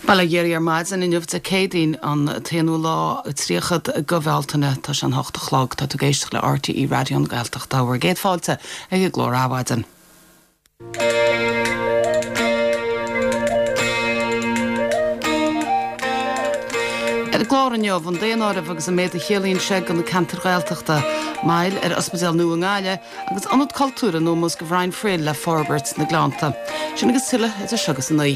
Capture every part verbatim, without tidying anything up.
Bail ó Dhia ar maidin inniu Dé Céadaoin an t-aonú lá tríochad de Bhealtaine tá sé an hocht a chlog tá tú ag éisteacht le RTÉ Raidió na Gaeltachta bhur gcéad fáilte ag an gclár Adhmhaidin. Ar an gclár inniu an daonáireamh agus an méid a chiallaíonn sé do na ceantair Ghaeltachta, moill ar ospidéal nua i nGaillimh agus ionad cultúir in ómós do Bhrian Friel le forbairt sna Gleannta. Sin agus tuilleadh idir seo agus a naoi.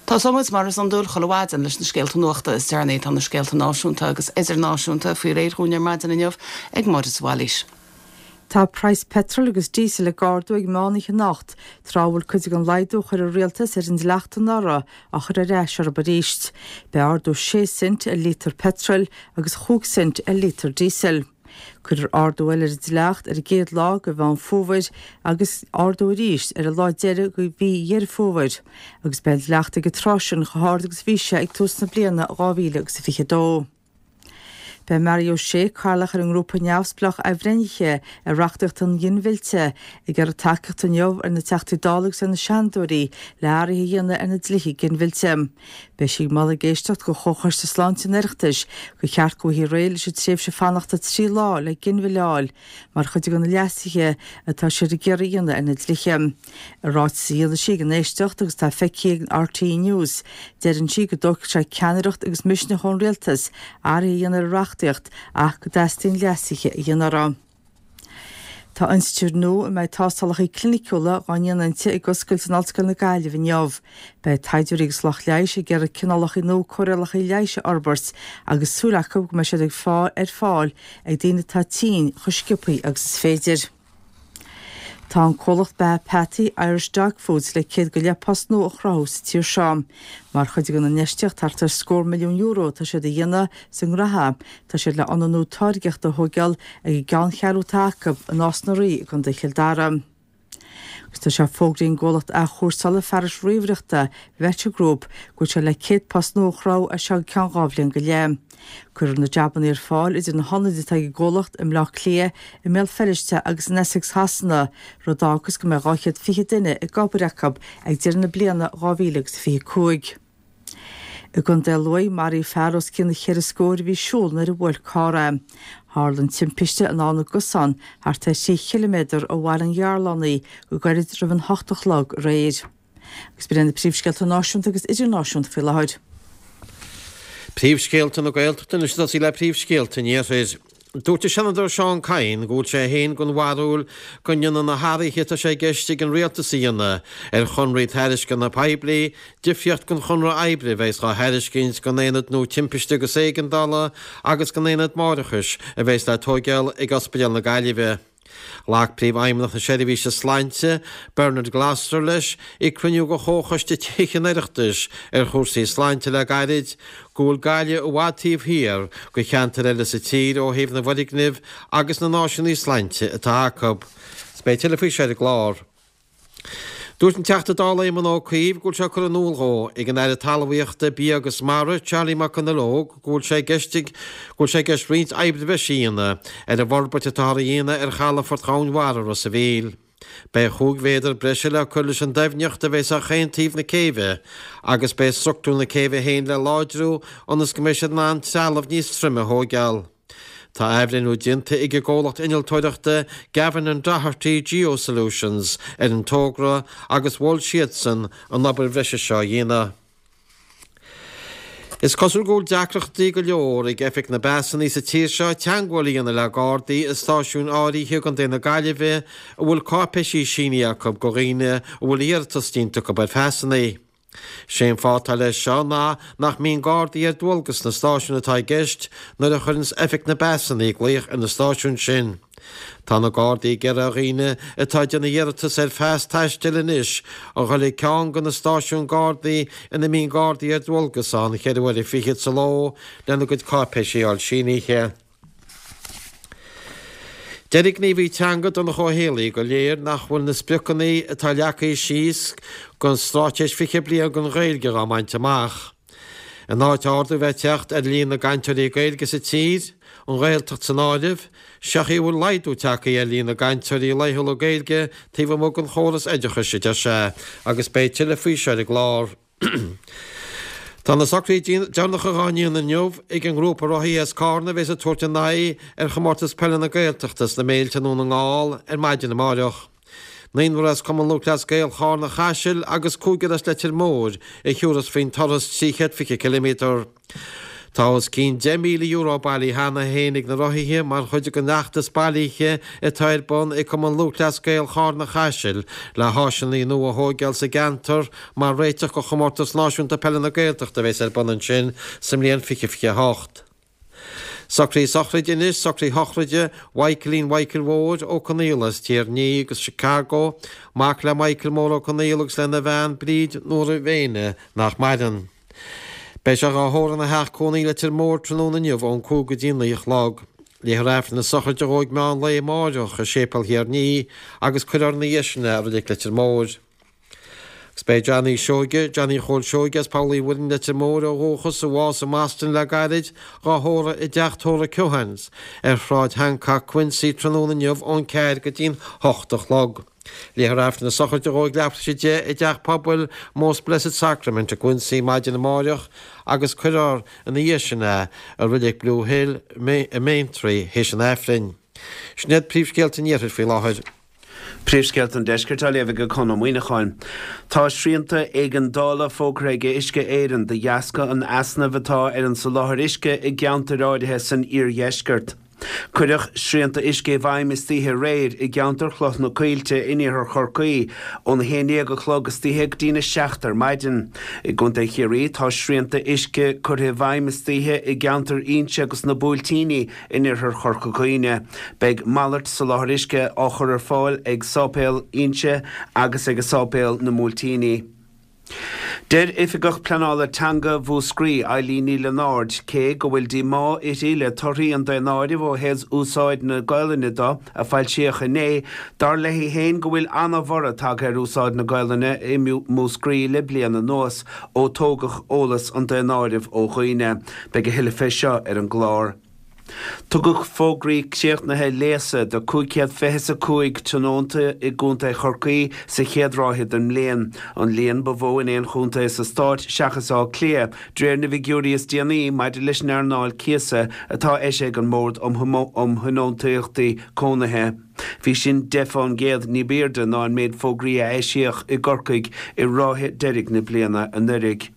Tosóidh muid mar is iondúil chuile mhaidin leis na scéalta nuachta is deireanaí. Tá na scéalta náisiúnta agus idirnáisiúnta faoi réir dhúinn ar maidin inniu ag Máire de Bhailís. Tá praghas peitril agus díosail ag ardú ag meán oíche anocht, tráth a bhfuil cuid den laghdú a chuir an rialtas ar an dleacht anuraidh á chur ar ais orthu arís. Beidh ardú sé cent ar lítear peitril agus chúig cent ar lítear díosail. Cuirfear ardú eile ar an dleacht ar an gcéad lá de Mheán Fómhair agus ardú arís ar an lá deiridh de mhí Dheireadh Fómhair, agus beidh an dleacht ag an tráth sin chomh hard agus a bhí sé ag tús na bliana dhá mhíle agus a fiche dó. Beidh Mary O'Shea, cathaoirleach ar an ngrúpa neamhspleách athbhreithnithe ar reachtaíocht an ghinmhillte, ag iarraidh tacaíocht inniu ar na Teachtaí Dála agus ar na Seanadóirí le hathruithe a dhéanamh ar na dlíthe ginmhillte. Beidh sí ag moladh ag éisteacht do Chomhchoiste Sláinte an Oireachtais gur cheart go bhfaighfí réidh leis an tréimhse fanachta trí lá le ginmhilleadh a fháil mar chuid de na leasuithe atá siad ag iarraidh a dhéanamh ar na dlíthe. I ráiteas a dhéanfaidh sí ag an éisteacht agus atá feicthe ag RTÉ News, deireann sí go dtógfaidh sé ceannaireacht agus misneach ón rialtas athruithe a dhéanamh ar an reachtaíocht ach go dteastaíonn leasuithe a dhéanamh orthu. Tá institiúid nua a mbeidh tástálacha cliniciúla á ndéanamh inti ag oscailt in Ollscoil na Gaillimhe inniu. Beidh taighdeoirí agus lucht leighis ag iarraidh cineálacha nua cóireálacha leighis a fhorbairt agus súil acu go mbeidh siad ag fáil ar fáil ag daoine atá tinn chomh sciobtha agus is féidir. Tá an comhlacht beatha peataí Irish Dog Foods le céad go leith post nua a chruthú sa tír seo. Mar chuid den infheistíocht thart ar scór milliún euro atá siad a dhéanamh sa nGraithe, tá siad le ionad nua táirgeachta a thógáil ag an gceanncheathrú atá acu i Nás na Rí i gContae Chill Dara. Agus tá sé fógraithe ag an gcomhlacht athchúrsála fearais ríomhaireachta Vector Group go bhfuil sé le céad post nua a chruthú as seo go ceann dhá bhliain go leith. Cuirfear na jabanna ar fáil idir na hionaid atá ag an gcomhlacht i mBleá Cliath, i mBéal Feirste agus in Essex Shasana, rud a fhágfas go mbeidh dhá chéad fiche duine ag obair acu ag deireadh na bliana dhá mhíle agus fiche cúig. I gContae Lú, maraíodh fear os cionn cheithre scór a bhí ag siúl nuair a bhuail carr é. Tharla an timpiste in Abhainn na gCosán, thart ar thrí chiliméadar ó Bhaile an Ghearlánaigh, go gairid roimh an hocht a chlog aréir. Agus b'in iad na príomhscéalta náisiúnta agus idirnáisiúnta faoi láthair. Príomhscéalta na Gaeltachta anois ag tosaí le príomhscéalta an Iarthair. Dúirt an Seanadóir Seán Kyne go bhfuil sé féin den bharúil go ndéanfaidh na hathruithe atá sé i gceist ag an Rialtas a dhéanamh ar chonraí tairisceana poiblí difríocht don chonradh oibre a bheas á thairiscint don Aonad nua Timpiste agus Éigeandála agus don Aonad Máithreachais a bheas le tóigeáil ag Ospidéal na Gaillimhe. Ghlac Príomhfheidhmeannach na Seirbhíse Sláinte, Bernard Gloster leis ag cruinniú de Chomhchoiste Tithe an Oireachtais ar chúrsaí sláinte le gairid go bhfuil Gaillimh i bhfad taobh thiar de cheantair eile sa tír ó thaobh na bhfoirgneamh agus na n-áiseanna sláinte atá acu. Beidh tuilleadh faoi seo ar an gclár. Dúirt an Teachta Dála Éamon Ó Cuív go bhfuil sé curtha in iúl dhó ag an Aire Talmhaíochta, Bia agus Mara, Charlie McConalogue, go bhfuil sé i gceist ag go bhfuil sé i gceist roinnt oibre bhreise a dhéanamh ar an bhforbairt atáthar a dhéanamh ar chalafort Dhomhain Mhara Ros a' Mhíl. Beidh chúig mhéadar breise le cur leis an doimhneacht a bheas ar chaon taobh na céibhe agus beidh structúr na céibhe féin le láidriú ionas go mbeidh siad in ann trealamh níos troime a thóigeáil. Tá athbhreithniú déanta ag an gcomhlacht innealtóireachta Gavin and Doherty Geosolutions ar an togra agus mhol siadsan an obair bhreise seo a dhéanamh. Is cosúil go bhfuil deacrachtaí go leor ag Oifig na bPasanna sa tír seo teagmháil a dhéanamh le Gardaí i stáisiúin áirithe i gContae na Gaillimhe a bhfuil cáipéisí sínithe acu do dhaoine a bhfuil iarratas déanta acu ar phasanna. Sé an fáth atá leis seo ná nach mbíonn Gardaí ar dualgas sna stáisiúin atá i gceist nuair a chuireanns Oifig na bPasanna glaoch ar na stáisiúin sin. Tá na Gardaí ag iarraidh ar dhaoine atá ag déanamh iarratas ar phas taistil anois a dhul ag ceann de na stáisiúin Gardaí ina mbíonn Gardaí ar dualgas ann ceithre huaire fichead sa ló lena gcuid cáipéisí a fháil sínithe. Deir an gníomhaí teanga Donncha Ó Héalaí gur léir nach bhfuil na spriocanna atá leagtha síos don Straitéis Fiche Bliain don Ghaeilge á mbaint amach. In áit ardú bheith ag teacht ar líon na gcainteoirí Gaeilge sa tír, an Ghaeltacht san áireamh, sé chaoi a bhfuil laghdú tagtha ar líon na gcainteoirí laethúla Gaeilge taobh amuigh den chóras oideachais, a deir sé, agus beidh tuilleadh faoi seo ar an gclár. Tá na socruithe deireanacha dhá ndéanamh inniu ag an ngrúpa rothaithe as Cárna a bheas ag tabhairt a n-aghaidh ar Chomórtas Peile na Gaeltachta sna Méilte i nDún na nGall ar maidin amáireach. Naonúr as Cumann Lúthchleas Gael Chárna Chaisil agus cúigear as Leitir Móir a thiúrfas faoin turas trí chéad fiche ciliméadar. Tá os cionn deich míle euro bailithe cheana féin ag na rothaithe mar chuid den fheachtas bailithe atá ar bun ag Cumann Lúthchleas Gael Chárna Chaisil le háiseanna nua a thóigeáil sa gceantar mar réiteach do Chomórtas Náisiúnta Peile na Gaeltachta a bheas ar bun ansin sa mbliain fiche fiche a hocht. Socruithe sochraide anois, socruithe sochraide Mhichaelín Mhichael Mhóir Ó Conaola as Tír an Fhia agus Chicago, mac le Michael Mór Ó Conaola agus lena bhean Bríd Nóra Mhéine nach maireann. Beidh sé dhá thórramh ina theach cónaí i Leitir Móir tráthnóna inniu ón cúig go dtí naoi a chlog. Léifear Aifreann na sochraide dhó ag meán lae amáireach i Séipéal Thír an Fhia agus cuirfear ina dhiaidh sin é i Reilig Leitir Móir. Agus b'é Johnny Seoige, Johnny Chóil Seoige as Poll Uí Mhuirinn Leitir Móir ó dhúchas, a bhásaigh i mBoston le gairid, dhá thórramh i dteach tórraimh Keohane's ar Shráid Hancock, Quincy tráthnóna inniu ón ceathair go dtí'n hocht a chlog. Léifear Aifreann na sochraide dhó ag leathuair tar éis a deich i dTeach Pobail Most Blessed Sacrament i gQuincy maidin amáireach agus cuirfear ina dhiaidh sin é i Reilig Blue Hill i mBeanntraí théis an Aifrinn. Sin iad príomhscéalta an Iarthair faoi láthair. Príomhscéalta an Deiscirt á léamh ag Conn Ó Muíneacháin. Tá srianta éigeandála fógartha ag Uisce Éireann de dheasca an easnaimh atá ar an soláthar uisce i gceantair áirithe san iardheisceart. Cuireadh srianta uisce i bhfeidhm istoíche aréir i gceantar Chloich na Coillte in iarthar Chorcaí óna haon déag a chlog istoíche go dtína seacht ar maidin. I gContae Chiarraí tá srianta uisce curtha i bhfeidhm istoíche i gceantar Inse agus na Buailtíní in iarthar Chorca Dhuibhne. Beidh malairt soláthar uisce á chur ar fáil ag Sáipéal Inse agus ag Sáipéal na mBuailtíní. Deir Oifigeach Pleanála Teanga Mhúscraí, Eilín Ní Lionáird, cé go bhfuil díomá uirthi le torthaí an daonáirimh ó thaobh úsáid na Gaolainne do, a foilsíodh inné, dar léi féin go bhfuil ana-bhorradh tagtha ar úsáid na Gaolainne i Múscraí le bliain anuas ó tógadh eolas an daonáirimh ó dhaoine. Beidh a thuilleadh fé seo ar an gclár. Tugadh fógraí críochnaithe léasa do cúig chéad fiche is a cúig tionónta i gContae Chorcaí sa chéad ráithe den mbliain, an líon ba mhó in aon chontae sa stát seachas Áth Cliath, de réir na bhfigiúirí is déanaí maidir leis an earnáil cíosa atá eisithe ag an mBord um Thionóntachtaí Cónaithe. Bhí sin deich fán gcéad ní b'airde ná an méid fógraí a eisíodh i gCorcaigh i ráithe deiridh na bliana anuraidh.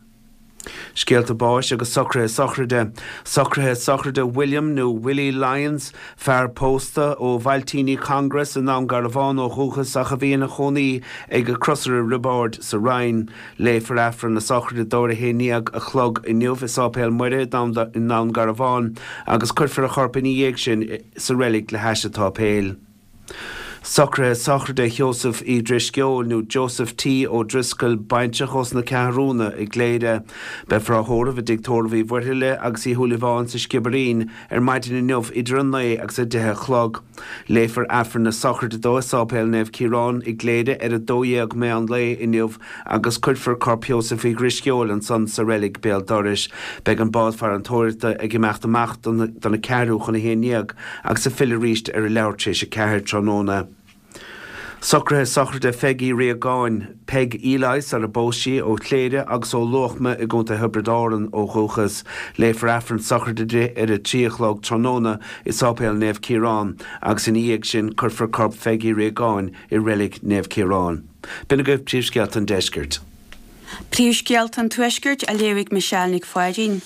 Scéalta báis agus socruithe sochraide. Socruithe sochraide William nó Willie Lyons, fear pósta ó Bhailtíní Congress i nDún Garbhán ó dhúchas ach a bhí ina chónaí ag Crosaire Roibeáird sa Rinn. Léifear Aifreann na sochraide dó ar a haon déag a chlog inniu i Sáipéal Muire i nDún Garbhán agus cuirfear a chorp ina dhiaidh sin sa reilig le hais an tsáipéil. Socruithe sochraide Sheosaimh Uí Drisceoil, nó Joseph T. O'Driscoll, baintreach ós na Ceathrúna i gCléire. Beifear á thórramh i dTigh Tórraimh Uí Mhuirthile agus Uí Shúilleabháin sa Sciobairín ar maidin inniu idir a naoi agus a deich a chlog. Léifear Aifreann na sochraide dó i Sáipéal Naomh Ciarán i gCléire ar a dó dhéag meán lae inniu agus cuirfear corp Sheosaimh Uí Dhrisceoil ansan sa reilig béal dorais. Beidh an bád farantóireachta ag imeacht amach dona ceathrú chun a haon dhéag agus ag filleadh arís ar a leathuair tar éis a ceathair tráthnóna. Socruithe sochraide Pheig Uí Riagáin, Peig Eli sar a bpós sí, ó Chléire agus ó Luachma i gContae Thiobraid Árann ó dhúchas. Léifear Aifreann sochraide di ar a trí a chlog tráthnóna i Sáipéal Naomh Ciarán agus ina dhiaidh sin cuirfear corp Pheig Uí Riagáin i Reilig Naomh Ciarán. B'in agaibh príomhscéalta an deiscirt. Príomhscéalta an Tuaiscirt á léamh ag Michelle Nic Pháidín.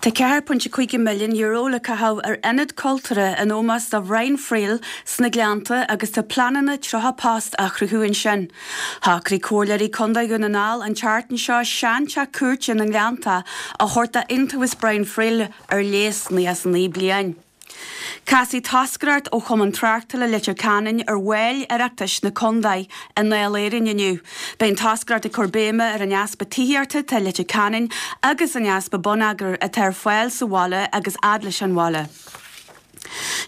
Tá ceathair pointe cúig milliún euro le caitheamh ar ionad cultúrtha in ómós do Bhrian Friel sna Gleannta agus tá pleananna tríocha post á chruthú ansin. Shocraigh Comhairleoirí Contae Dhún na nGall an tseachtain seo seanteach cúirte na nGleannta a thabhairt d'Iontaobhas Brian Friel ar léas nócha is a naoi bliain. Casfaidh toscaireacht ó Chumann Tráchtála Leitir Ceanainn ar bhaill Oireachtais na contae i nDáil Éireann inniu. Beidh an toscaireacht ag cur béime ar an easpa tithíochta atá i Leitir Ceanainn agus an easpa bonneagair atá ar fáil sa bhaile agus fhad leis an bhaile.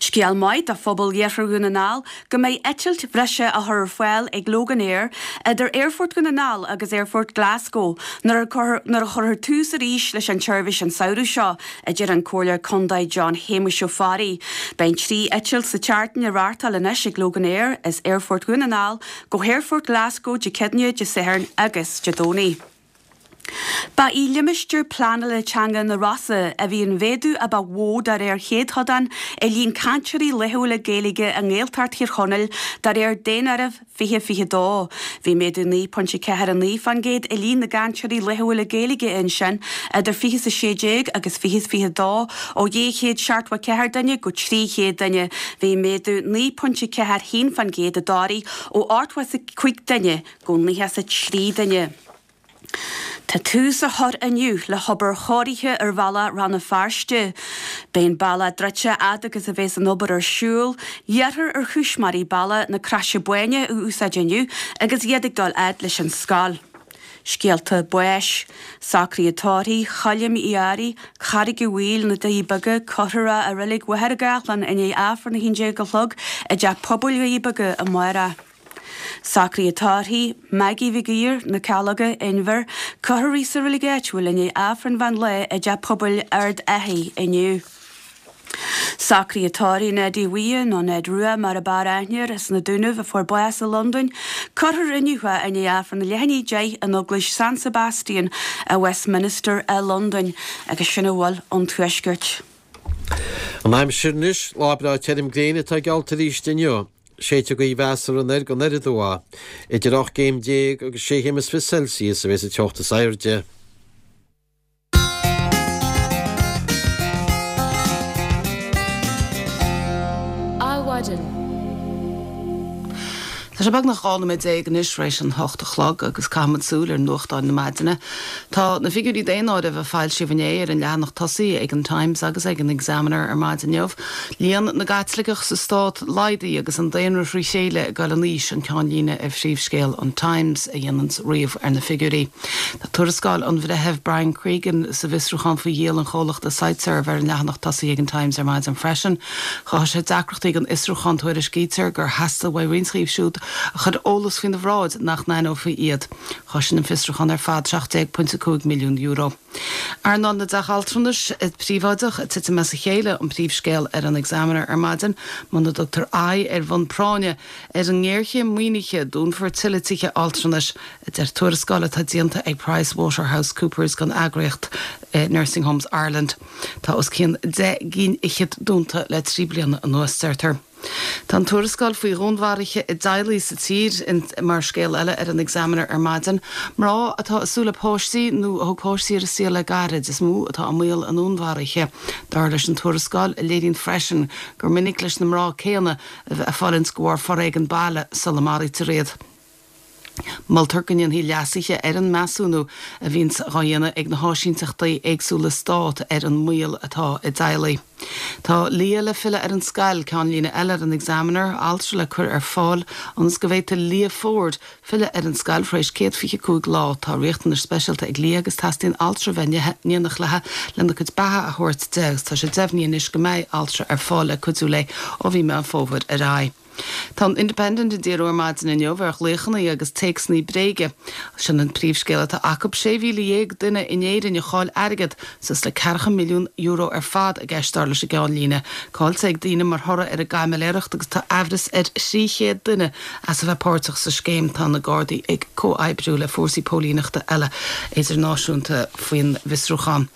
Scéal maith do phobal Iarthar Dhún na nGall go mbeidh eitilt bhreise á chur ar fáil ag Loganair idir Aerfort Dhún na nGall agus Aerfort Glasgow nuair a chuirfear tús arís leis an tseirbhís an samhradh seo, a deir an Comhairleoir Contae John Shéamuis Ó Fearraigh. Beidh trí eitilt sa tseachtain á reáchtáil anois ag Loganair as Aerfort Dhún na nGall go hAerfort Glasgow Dé Céadaoine, Dé Sathairn agus Dé Domhnaigh. Ba í limistéar pleanála teanga na Rosa a bhí an mhéadú a ba mhó de réir chéatadán i líon cainteoirí laethúla Gaeilge i nGaeltacht Thír Chonaill de réir Daonáireamh fiche fiche dó. Bhí méadú naoi pointe ceathair a naoi faoin gcéad i líon na gcainteoirí laethúla Gaeilge ansin idir fiche is a sé déag agus fiche is fiche dó, ó dhá chéad seachtó a ceathair duine go trí chéad duine. Bhí méadú naoi pointe ceathair haon faoin gcéad i dToraigh ó ochtó is a cúig duine go nócha is a trí duine. Tá tús á chur inniu le hobair chóirithe ar bhealach Rann na Feirste. Beidh an bealach druidte fhad agus a bheas an obair ar siúl. Iarrthar ar chustaiméirí bealach na Croise Báine a úsáid inniu agus iad ag dul fhad leis an scoil. Scéalta báis, Socruithe tórraimh Choilm Uí Fhearraigh, Carraig an Mhaoil, Na Doirí Beaga, Curtha i Reilig Mhachaire Gathlán i ndiaidh Aifreann a haon déag a chlog i dTeach Pobail Dhoirí Beaga amárach. Socruithe tórraimh, Maggie Mhig Uidhir, Na Calóga, Inbhear, Curtha sa reilig áitiúil i ndiaidh Aifreann mheán lae i dTeach Pobail Ard Achaidh inniu. Socruithe tórraimh Neidí Bhuí nó Ned Rua mar a b'fhearr aithne air as na Dúnaibh a fuair bás i Londain, cuirfear inniu é i ndiaidh Aifreann a leath i ndiaidh a deich in Eaglais San Sebastian i Westminster i Londain agus sin a bhfuil ón Tuaisceart. An aimsir anois, lá breá tirim gréine atá geallta arís inniu. Séidfidh gaoth mheasartha anoir go anoir aduaidh. Idir ocht gcéim déag agus sé chéim is fiche Celsius a bheas an teocht is airde. Adhmhaidin. Tá sé beagnach dhá nóiméad déag anois tar éis an hocht a chlog agus caithfimid súil ar nuachtáin na maidine. Tá na figiúirí daonáirimh a foilsíodh inné ar an leathanach tosaigh ag an Times agus ag an Examiner ar maidin inniu. Líon na gCaitliceach sa stát laghdaithe agus an daonra thrí chéile ag dul in aois an ceannlíne ar phríomhscéal an Times a dhéananns ríomh ar na figiúirí. Tá tuarascáil an Bhreithimh Brian Cregan sa bhfiosrúchán faoi dhíol an chomhlachta Siteserv ar an leathanach tosaigh ag an Times ar maidin freisin. Chothaigh sé deacrachtaí don fhiosrúchán tuairiscítear gur theastaigh uaidh roinnt díobh siúd a chuir eolas faoina bhráid nach n-aithneofaí iad. Chosain an fiosrúchán ar fad seacht déag pointe cúig milliún euro. Earnáil na dteach altranais príobháideach ag titim as a chéile an príomhscéal ar an Examiner ar maidin. Muna dtugtar aghaidh ar bhonn práinne ar an ngéarchéim maoinithe, dúnfar tuilleadh tithe altranais, a deir tuarascáil atá déanta ag PricewaterhouseCoopers don eagraíocht Nursing Homes Ireland. Tá os cionn deich gcinn fhichead dúnta le trí bliana anuas, deirtear. Tá an tuarascáil faoi dhúnmharuithe i dteaghlaigh sa tír mar scéal eile ar an Examiner ar maidin. Mná atá ag súil le páistí nó a thug páistí ar an saol le gairid is mó atá i mbaol a ndúnmharaithe, dar leis an tuarascáil, a léiríonn freisin gur minic leis na mná céanna a bheith ag fulaingt de bharr foréigean baile sula maraítear iad. Moltar go ndéanfaí leasuithe ar an measúnú a bhíonns á dhéanamh ag na háisínteachtaí éagsúla stát ar an mbaol atá i dteaghlaigh. Tá Leah le filleadh ar an scoil, ceannlíne eile ar an Examiner, altra le cur ar fáil ionas go bhféadfaidh Leah Ford filleadh ar an scoil tar éis céad fiche cúig lá. Tá riachtanais speisialta ag Leah agus teastaíonn altra a bheith in éineacht léi lena cuid beatha a thabhairt di agus tá sé deimhnithe anois go mbeidh altra ar fáil le cuidiú léi ó mhí Meán Fómhair ar aghaidh. Tá an Independent ag díriú ar maidin inniu ar ghlaochanna agus téacsanna bréige. Sin an príomhscéal atá acu, sé mhíle dhéag duine in Éirinn a chaill airgead, suas le ceathracha milliún euro ar fad i gceist dar leis an gceannlíne. Caillte ag daoine mar thoradh ar an gcaimiléireacht agus tá aimhreas ar thrí chéad duine as a bheith páirteach sa scéim. Tá na Gardaí ag comhoibriú le fórsaí póilíneachta eile idirnáisiúnta faoin bhfiosrúchán.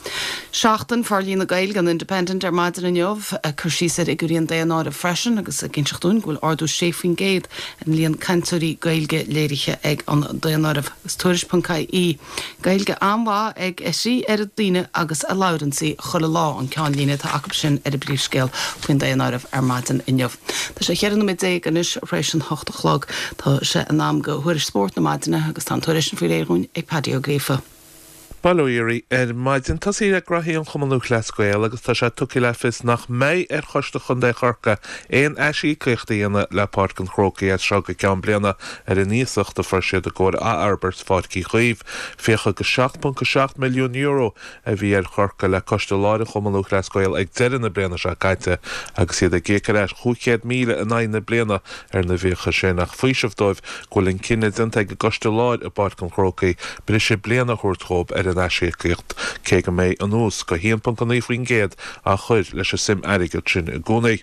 Seachtain Forlíonadh Gaeilge an Independent ar maidin inniu, ag cur síos ar fhigiúirí an daonáirimh freisin agus ag inseacht dúinn go bhfuil ardú sé faoin gcéad ar an líon cainteoirí Gaeilge léirithe ag an daonáireamh. Agus Tuairisc.ie, Gaeilge an-mhaith ag a thrí oiread daoine agus a labhrann sí chuile lá an ceannlíne atá acu sin ar an bpríomhscéal faoin daonáireamh ar maidin inniu. Tá sé cheithre nóiméad déag anois tar éis an hocht a chlog. Tá sé in am do thuairisc spóirt na maidine agus tá an tuairisc sin faoi réir dhúinn ag Paddy Ó Gríofa. Bail ó Dhia oraibh ar maidin. Tosaí le graithí an Chumann Lúthchleas Gael agus tá sé tugtha le fios nach mbeidh ar Choiste Chontae Chorcaí aon aisíocaíocht a dhéanamh le Páirc an Chrócaigh as seo go ceann bliana ar an iasacht a fuair siad i gcomhair athfhorbairt Pháirc Uí Chaoimh. Fiacha go seacht ponc a seacht milliún euro a bhí ar Chorcaigh le Coiste Láir an Chumann Lúthchleas Gael ag deireadh na bliana seo caite agus iad ag íoc ar ais chúig chéad míle in aghaidh na bliana ar na bhfiacha sin ach faoiseamh dóibh go bhfuil an cinneadh déanta ag an gCoiste Láir i bPáirc an Chrócaigh briseadh bliana a thabhairt dhóibh ar an aisíocaíocht, cé go mbeidh an ús go haon ponc a naoi faoin gcéad á chur leis an suim airgid sin i gcónaí.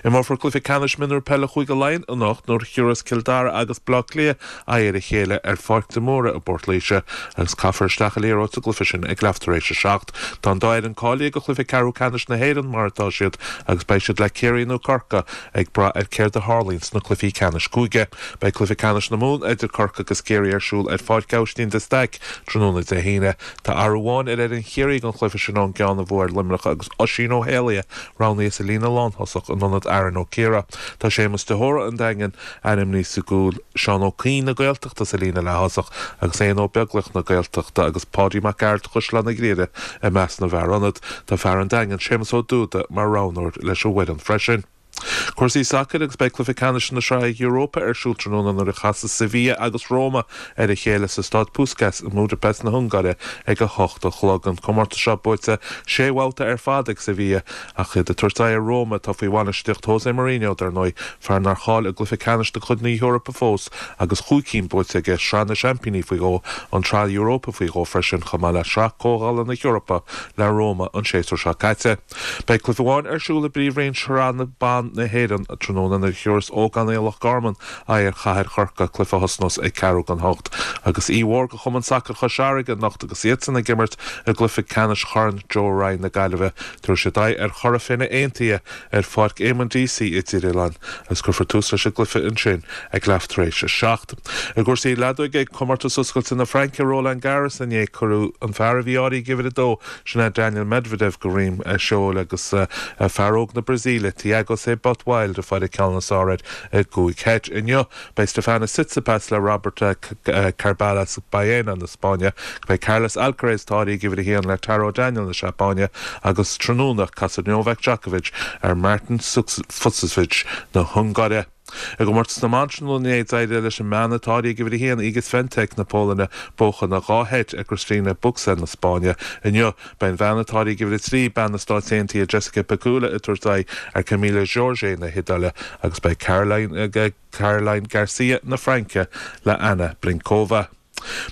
Imreofar cluiche ceannais mionúr peile Chúige Laighean anocht nuair a thiúrfas Cill Dara agus Baile Átha Cliath aghaidh ar a chéile ar Pháirc de Mórdha i bPort Laoise agus caithfear isteach an liathróid sa gcluiche sin ag leath tar éis a seacht. Tá an dá fhoireann cáilithe do chluiche ceathrú ceannais na hÉireann mar atá siad agus beidh siad le Ciarraí nó Corcaigh ag brath ar céard a tharlaíonn sna cluichí ceannais cúige. Beidh cluiche ceannais na Mumhan idir Corcaigh agus Ciarraí ar siúl ar Pháirc Aibhistín de Staic tráthnóna Dé hAoine. Tá athrú amháin ar fhoireann Chiarraí don chluiche sin ón gceann a bhuadh ar Luimneach agus Oisín Ó hÉalaithe roghnaithe sa líne lántosach in ionad Aaron Ó Ciardha. Tá Séamus de hÓra an Daingin ainmnithe sa gcúl, Seán Ó Cuinn na Gaeltachta sa líne leath-thosach agus Éanna Ó Beaglaoich na Gaeltachta agus Páidí Mac Gearailt Chaisleán an Ghriaire i measc na bhfear ionad. Tá fear an Daingin, Séamus Ó Dúda, mar roghnóir leis an bhfoireann freisin. Cúrsaí sacair agus beidh cluiche ceannais na Sraithe Europa ar siúl tráthnóna nuair a chasas Sevilla agus Roma ar a chéile sa Staid Puskás i mBudapest na hUngáire ag a hocht a chlog. An comórtas seo buaite sé bhabhta ar fad ag Sevilla ach iad ag tabhairt aghaidh ar Roma atá faoi bhainistíocht José Mourinho dar ndóigh, fear nár chaill i gcluiche ceannais de chuid na hEorpa fós agus chúig cinn buaite aige, Sraith na Seaimpíní faoi dhó, an tSraith Europa faoi dhó freisin chomh maith le Sraith Comhdhála na hEorpa le Roma an séasúr seo caite. Beidh cluiche amháin ar siúl i bpríomhroinn Shraith na Ban na hÉireann tráthnóna nuair a thiúrfas Ógánaigh Loch Garman aghaidh ar Chathair Chorcaí, cluiche a thosnós ag ceathrú don hocht. Agus oíche mhór do Chumann Sacair Chois Fharraige anocht agus iadsan ag imirt i gcluiche ceannais Chorn Joe Ryan na Gaillimhe. Tabharfaidh siad aghaidh ar Chora Finne Aontaithe ar Pháirc Éamonn Deacy i dTír Oileáin agus cuirfear tús leis an gcluiche ansin ag leath tar éis a seacht. I gcúrsaí leadóige ag Comórtas Oscailte na Fraince Roland Garros inné cuireadh an fear a bhí áirithe ag uimhir a dó, sin é Daniil Medvedev de dhroim seoil agus fear óg na Brasaíle Thiago Seyboth Wild ag fáil an ceann is fearr air i gcúig sheit. Inniu beidh Stefanos Tsitsipas le Robert Carballés Baena na Spáinne, beidh Carlos Alcaraz atá áirithe ag uimhir a haon le Taro Daniel na Seapáine agus tráthnóna casfaidh Novak Djokovic ar Marton Fucsovics na hUngáire. I gcomórtas na mban tráthnóna inné d'éirigh leis an mbean atá áirithe ag uimhir a haon, Iga Swiatek na Polainne, buachan dhá sheit ar Cristina Bucsa na Spáinne. Inniu, beidh an bhean atá áirithe ag uimhir a trí, bean na Stáit Aontaithe Jessica Pegula ag tabhairt aghaidh ar Camila Giorgi na hIodáile agus beidh Caroline Caroline Garcia na Fraince le Anna Blinkova.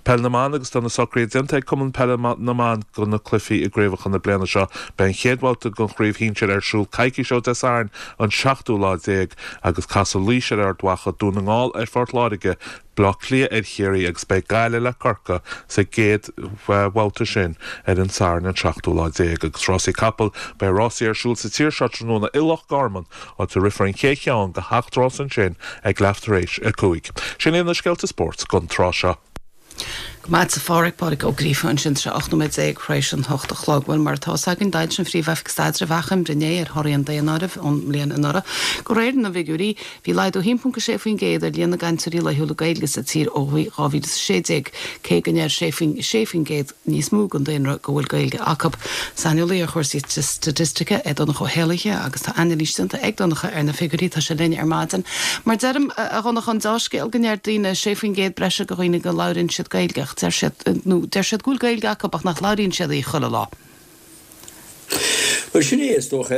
Peil na mBan agus tá na socruithe déanta ag Cumann Peile na mBan do na cluichí i gcraobhacha na bliana seo. Beidh an chéad bhabhta den chraobh shinsir ar siúl coicís ó Dé Sathairn an seachtú lá déag agus casfaidh Laois ar Ard Mhacha, Dún na nGall ar Phort Láirge, Baile Átha Cliath ar Chiarraí agus beidh Gaillimh le Corcaigh sa gcéad bhabhta sin ar an Satharn an seachtú lá déag. Agus rásaí capall, beidh rásaí ar siúl sa tír seo tráthnóna i Loch Garman, áit a rithfear an chéad cheann de sheacht rás ansin ag leath tar éis a cúig. Sin iad na scéalta spóirt don tráth seo. Go maith agat a Phádraig, Pádraig Ó Gríofa ansin tá sé ocht nóiméad déag tar éis an hocht a chlog. Bhuel, mar atá fhios againn, d'fhoilsigh an Phríomh-Oifig Staidrimh achoimre inné ar thorthaí an daonáirimh ón mbliain anuraidh. De réir na bhfigiúirí, bhí laghdú a haon ponc a sé faoin gcéad ar líon na gcainteoirí laethúla Gaeilge sa tír ó dhá mhíle is a sé déag, cé go ndeir sé faoin sé faoin gcéad níos mó den daonra go bhfuil Gaeilge acu. Saineolaí ar chúrsaí staitistice é Donncha Ó hÉallaithe agus tá anailís déanta ag Donncha ar na figiúirí. Tá sé linn ar maidin. Mar deirim, a Dhonncha, an deá-scéal go ndeir daoine sé faoin gcéad breise de dhaoine go labhraíonn siad Gaeilge ach deir siad, nó deir siad go bhfuil Gaeilge acu ach nach labhraíonn siad í chuile lá. Bhuel, sin é is dócha,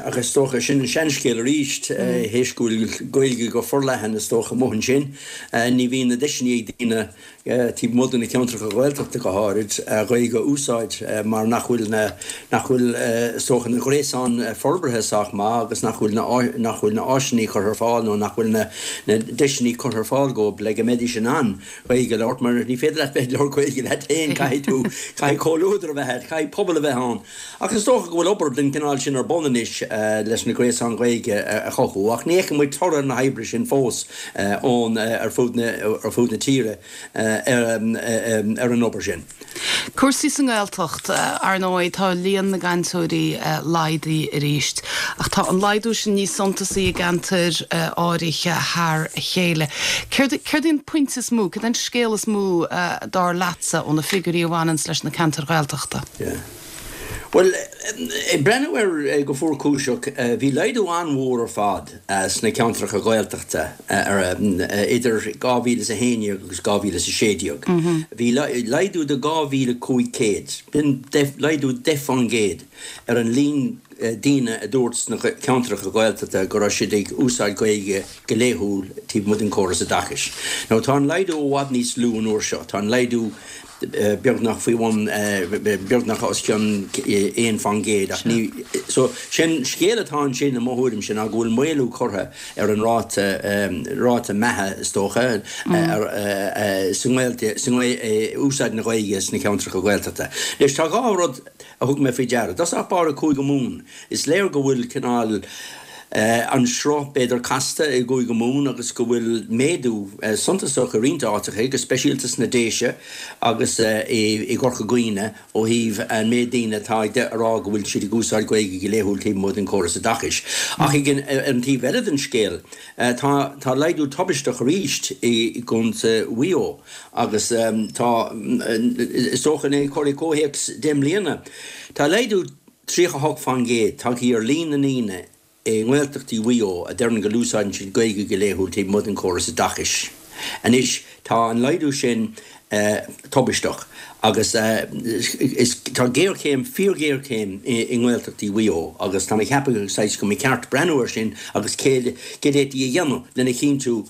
ach is dócha sin an seanscéal arís, théis go bhfuil Gaeilge go forleathan is dócha amuigh ansin, ní bhíonn na deiseanna ag daoine taobh amuigh de na ceantracha Gaeltachta go háirid, Gaeilge a úsáid mar nach bhfuil na, nach bhfuil is dócha na gréasáin forbartha sách maith agus nach bhfuil na, nach bhfuil na áiseanna curtha ar fáil nó nach bhfuil na, na deiseanna curtha ar fáil dóibh le go mbeidís in ann Gaeilge a labhairt mar ní féidir leat bheith ag labhairt Gaeilge leat féin, caithfidh tú, caithfidh comhluadar a bheith agat, caithfidh pobal a bheith ann. Ach is dócha go bhfuil obair den chineál sin ar bun anois leis na gréasáin Ghaeilge a chothú, ach ní fheiceann muid toradh na hoibre sin fós ón, ar fud na, ar fud na tíre. ar an obair sin. Cúrsaí sa nGaeltacht, ar ndóigh, tá líon na gcainteoirí laghdaithe arís, ach tá an laghdú sin níos suntasaí i gceantair áirithe thar a chéile. Céard céard é an pointe is mó, céard é an scéal is mó dar leatsa ó na figiúirí a bhaineanns leis na ceantair Ghaeltachta? Yeah. Bhuel, ag breathnú air go fuarchúiseach, bhí laghdú an-mhór ar fad sna ceantracha Gaeltachta idir dhá mhíle is a haon déag agus dhá mhíle is a sé déag. Bhí laghdú de dhá mhíle cúig chéad, b'in laghdú deich faoin gcéad, ar an líon daoine a dúirt sna ceantracha Gaeltachta go raibh siad ag úsáid Gaeilge go laethúil taobh amuigh den chóras oideachais. Now tá an laghdú i bhfad níos lú an uair seo, tá an laghdú beagnach faoi bhun, beagnach os cionn aon faoin gcéad ach ní, so sin scéal atá ansin i mo thuairimse ná go bhfuil maolú curtha ar an ráta, ráta meatha is dócha, ar, sa nGaeilge, sa úsáid na Gaeilge sna ceantracha Gaeltachta. Anois tá dhá rud a thug mé faoi deara. I dtosach báire Cúige Mumhan, is léir go bhfuil cineál, an sruth b'fhéidir casta i gCúige Mumhan agus go bhfuil méadú suntasach i roinnt áiteacha, go speisialta sna Déise agus i gCorca Dhuibhne ó thaobh an méid daoine atá ag rá go bhfuil siad ag úsáid Gaeilge go laethúil taobh amuigh den chóras oideachais. Ach ag an taobh eile den scéal, tá tá laghdú tubaisteach arís i gContae Mhaigh Eo agus tá, is dócha, é a chur i gcomhthéacs deich mbliana, tá laghdú tríocha a hocht faoin gcéad tagtha ar líon na ndaoine i nGaeltachtaí Mhaigh Eo a deireann go n-úsáideann siad Gaeilge go laethúil taobh amuigh den chóras oideachais. Anois, tá an laghdú sin tubaisteach agus is tá géarchéim, fíorghéarchéim i nGaeltachtaí Mhaigh Eo agus tá mé ag ceapadh saghas go mba cheart breathnú air sin agus céard a d'fhéadfaí a dhéanamh lena chinntiú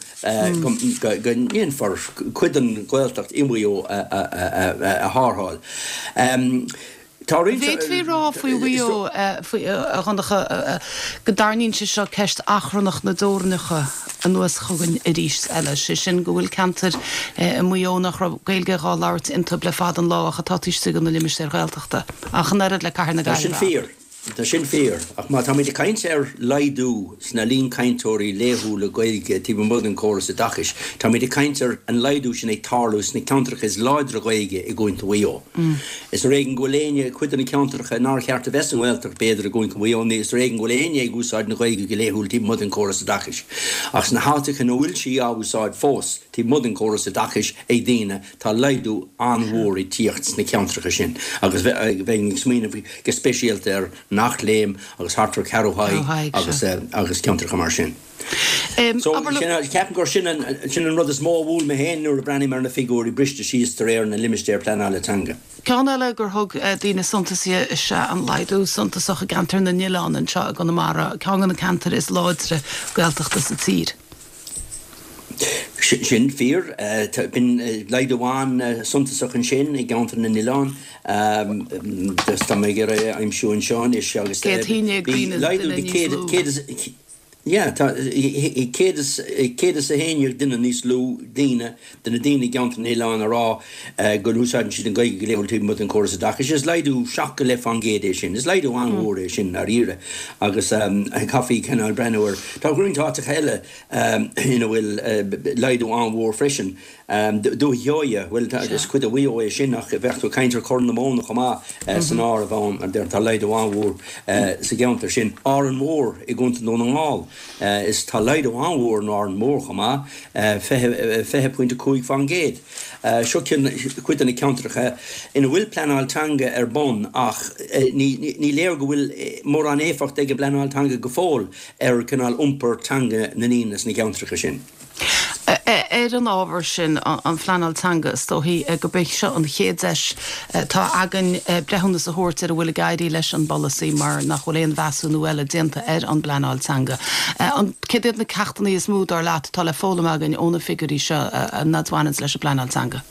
go ndéanfar cuid den Ghaeltacht i Maigh Eo a tharrtháil. Tá roinnt. D'fhéadfaí a rá faoi Mhaigh Eo, a Dhonncha, go dtarraingíonn sé seo ceist achrannach na dteorainneacha anuas chugainn arís eile, sé sin go bhfuil ceantair i Maigh Eo nach raibh Gaeilge dhá labhairt iontu le fada an lá ach atá taobh istigh de na limistéir Ghaeltachta, ach an oiread le Cathair na Tá sin Gaillimhe. fíor. Tá sin fíor, ach má táimid ag caint ar laghdú sna líon cainteoirí laethúla Gaeilge taobh amuigh den chóras oideachais, táimid ag caint ar an laghdú sin ag tarlú sna ceantracha is láidre Gaeilge i gContae Mhaigh Eo. Is ar éigean go bhfuil éinne, cuid de na ceantracha nár cheart a bheith sa nGaeltacht b'fhéidir i gContae Mhaigh Eo, ní is ar éigean go bhfuil éinne ag úsáid na Gaeilge go laethúil taobh amuigh den chóras oideachais. Ach sna háiteacha ina bhfuil sí á úsáid fós taobh amuigh den chóras oideachais ag daoine, tá laghdú an-mhór ag tíocht sna ceantracha sin agus bheinn ag smaoineamh go speisialta ar Eachléim agus thart ar Cheathrú Thaidhg agus agus ceantracha mar sin. So ceapaim gur sin an sin an rud is mó a bhuail mé féin nuair a bhreathnaím ar na figiúirí briste síos de réir na limistéar pleanála teanga. Ceann eile gur thug daoine suntas di is ea an laghdú suntasach i gceantar na nOileán anseo i gConamara, ceann de na ceantair is láidre Gaeltachta sa tír. Sin fíor. B'in laghdú an-suntasach ansin i gceantar na nOileán. Tá mé ag iarraidh a aimsiú anseo anois agus Céad haon déag bhí daoine, laghdú duine de níos céad, lú. céad is, yeah, tá céad is, céad is a haon déag duine níos lú daoine de na daoine i gceantar na nOileán a rá go n-úsáideann siad an Ghaeilge go laethúil taobh amuigh den chóras oideachais. Is laghdú seacht go leith fán gcéad é sin. Is laghdú an-mhór é sin ndáiríre agus chaithfí cineál breathnú air. Tá roinnt áiteacha eile ina bhfuil laghdú an-mhór freisin. Dúiche Sheoighe, bhuel, is cuid de Mhaigh Eo é sin ach bheadh tú ag caint ar Chorr na Móna chomh maith san áireamh ann. Tá laghdú an-mhór sa gceantar sin. Árainn Mhór i gContae Dhún na nGall, is tá laghdú an-mhór in Árainn Mhór chomh maith, fiche, fiche pointe cúig faoin gcéad. Seo cuid de na ceantracha ina bhfuil pleanáil teanga ar bun ach ní, ní léir go bhfuil mórán éifeacht ag an bpleanáil teanga go fóill. ar cineál iompar teanga na ndaoine sna ceantracha sin. Ar an ábhar sin, an phleanáil teanga, is dóichí gurb é seo an chéad deis atá againn breithiúnas a thabhairt ar a bhfuil ag éirí leis an bpolasaí mar nach bhfuil aon mheasúnú eile déanta ar an bpleanáil teanga. Céard iad na ceachtanna is mó, dar leat, atá le foghlaim againn ó na figiúirí seo a bhaineanns leis an bpleanáil teanga?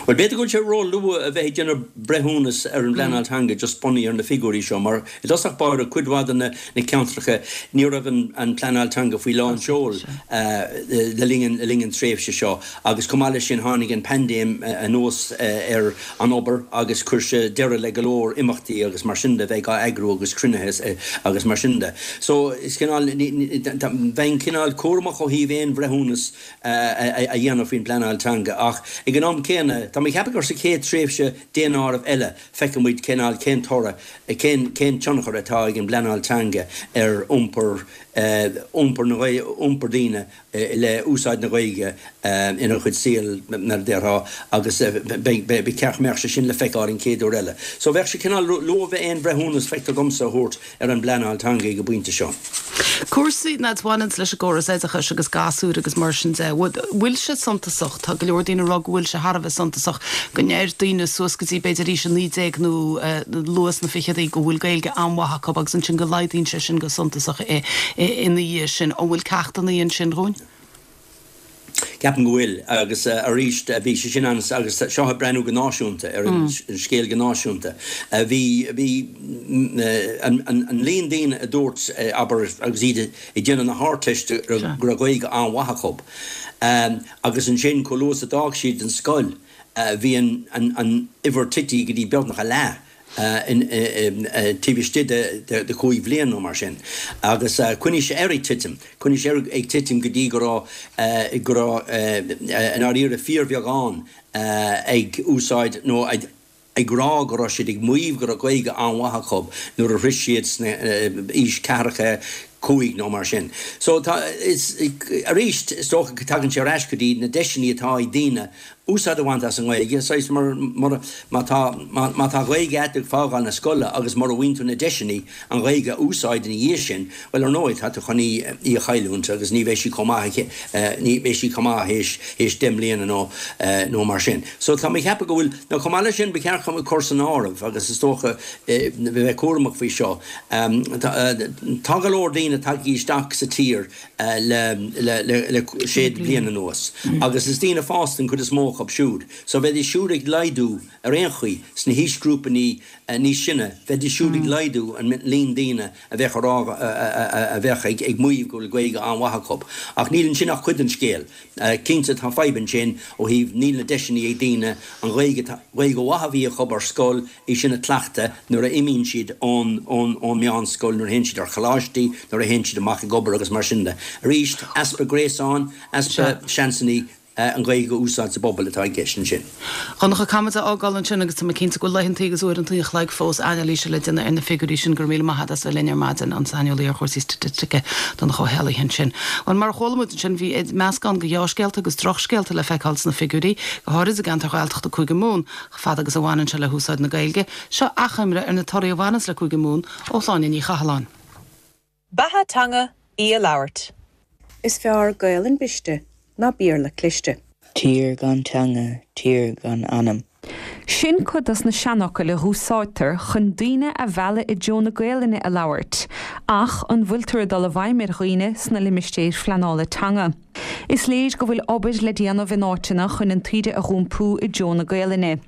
Bhuel, b'fhéidir go bhfuil sé ró-luath a bheith ag déanamh breithiúnas ar an bpleanáil teanga just bunaithe ar na figiúirí seo, mar i dtosach báire, cuid mhaith de na ceantracha, ní raibh an pleanáil teanga faoi lán seoil le linn le linn an tréimhse seo agus chomh maith leis sin tháinig an paindéim anuas ar an obair agus chuir sé deireadh le go leor imeachtaí agus mar sin de bheith á eagrú agus cruinnithe agus mar sin de. So is cineál, bheinn cineál cúramach ó thaobh aon bhreithiúnas a dhéanamh faoin bpleanáil teanga ach ag an am céanna, tá mé ag ceapadh gur sa chéad tréimhse daonáirimh eile feicfidh muid cineál cén toradh, cén cén tionchar atá ag an bpleanáil teanga ar iompar iompar na iompar daoine le úsáid na Gaeilge ina gcuid saoil mar a déarfá agus beidh ba cheart go mbeadh sé sin le feiceáil an chéad uair eile. So bheadh sé cineál luath bheith aon bhreithiúnas feictear domsa a thabhairt ar an bpleanáil teanga ag an bpointe seo. Cúrsaí a bhaineanns leis an gcóras oideachais agus gasúir agus mar sin de, bhfuil sé suntasach, tá go leor daoine ag rá go bhfuil sé thar a bheith suntasach, go ndeir daoine suas go dtí b'fhéidir aois a naoi déag nó luath sna fichidí go bhfuil Gaeilge an-mhaith acu agus ansin go laghdaíonn sé sin go suntasach ina dhiaidh sin. An bhfuil ceachtanna ansin dhúinn? Ceapaim go bhfuil, agus arís bhí sé sin ann agus seo ag breathnú go náisiúnta ar an scéal go náisiúnta. Bhí, bhí an líon daoine a dúirt, abair, agus iad ag déanamh na hArdteiste go raibh Gaeilge an-mhaith acu agus ansin chomh luath is a d'fhág siad an scoil bhí an uimhir tite go dtí beagnach a leath. taobh istigh de chúig bhliain nó mar sin. Agus choinnigh sé air ag titim, choinnigh sé air ag titim go dtí go raibh, go raibh i ndáiríre fíorbheagán ag úsáid nó ag rá go raibh siad ag maíomh go raibh Gaeilge an-mhaith acu nuair a shroich siad sna aois ceathracha cúig nó mar sin. So tá, is, arís, is dócha go dtagann sé ar ais go dtí na deiseanna atá ag daoine úsáid a bhaint as an nGaeilge, saghas mar, mar, má tá, má, má tá Gaeilge agat ag fágáil na scoile agus mura bhfaigheann tú na deiseanna an Ghaeilge a úsáid ina dhiaidh sin, bhuel ar ndóigh tá tú chun í, í a chailliúint agus ní bheidh sí chomh maith, ní bheidh sí chomh maith théis, théis deich mbliana nó, nó mar sin. So tá mé ag ceapadh go bhfuil, nó chomh maith leis sin ba cheart cur san áireamh agus is dócha bheith cúramach faoi seo, tá go leor daoine tagtha isteach sa tír le sé bliana anuas agus is daoine fásta an chuid is mó acu siúd. So bheidís siúd ag laghdú ar aon chaoi sna haoisghrúpanna níos sine, bheidís siúd ag laghdú an líon daoine a bheadh a rá a bheadh ag maíomh go bhfuil Gaeilge an-mhaith acu. Ach níl ansin ach cuid den scéal. Cinnte tá fadhb ansin ó thaobh níl na deiseanna ag daoine an Ghaeilge Ghaeilge mhaith a bhí acu ar scoil í sin a chleachtadh nuair a imíonn siad ón ón ón meánscoil, nuair a théann siad ar choláistí, nuair a théann siad amach ag obair agus mar sin de. Arís, easpa gréasáin, easpa seansanna an Ghaeilge a úsáid sa bpobal atá i gceist ansin. Donncha, caithfimid a fhágáil ansin agus tá mé cinnte go bhfuil laethantaí agus uaireantaí an chloig fós anailíse le déanamh ar na figiúirí sin. Go raibh míle maith agat as bheith linn ar maidin, an saineolaí ar chúrsaí staitistice, Donncha Ó hÉallaithe ansin. Bhuel, mar a chuala muid ansin, bhí meascán de dhea-scéalta agus drochscéalta le feiceáil sna figiúirí, go háirid i gceantair Ghaeltachta Cúige Mumhan, chomh fada agus a bhaineann sé le húsáid na Gaeilge. Seo achoimre ar na torthaí a bhaineanns le Cúige Mumhan ó Shláine Ní Chathalláin. Beatha teanga í a labhairt. Is fearr Gaelainn briste ná Béarla cliste. Tír gan teanga, tír gan anam. Sin cuid dos na seanfhocail a dh'úsáidtear chun daoine a mhealladh i dtreo na Gaelainne a labhairt, ach an bhfuiltear ag dul i bhfeidhm ar dhaoine sna limistéir phleanála teanga? Is léir go bhfuil obair le déanamh in áiteanna chun an taoide a dh'iompú i dtreo na Gaelainne.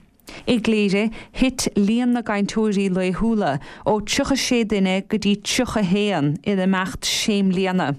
I gCléire, thit líon na gcainteoirí laethúla ó tríocha sé duine go dtí tríocha haon in imeacht sé mbliana.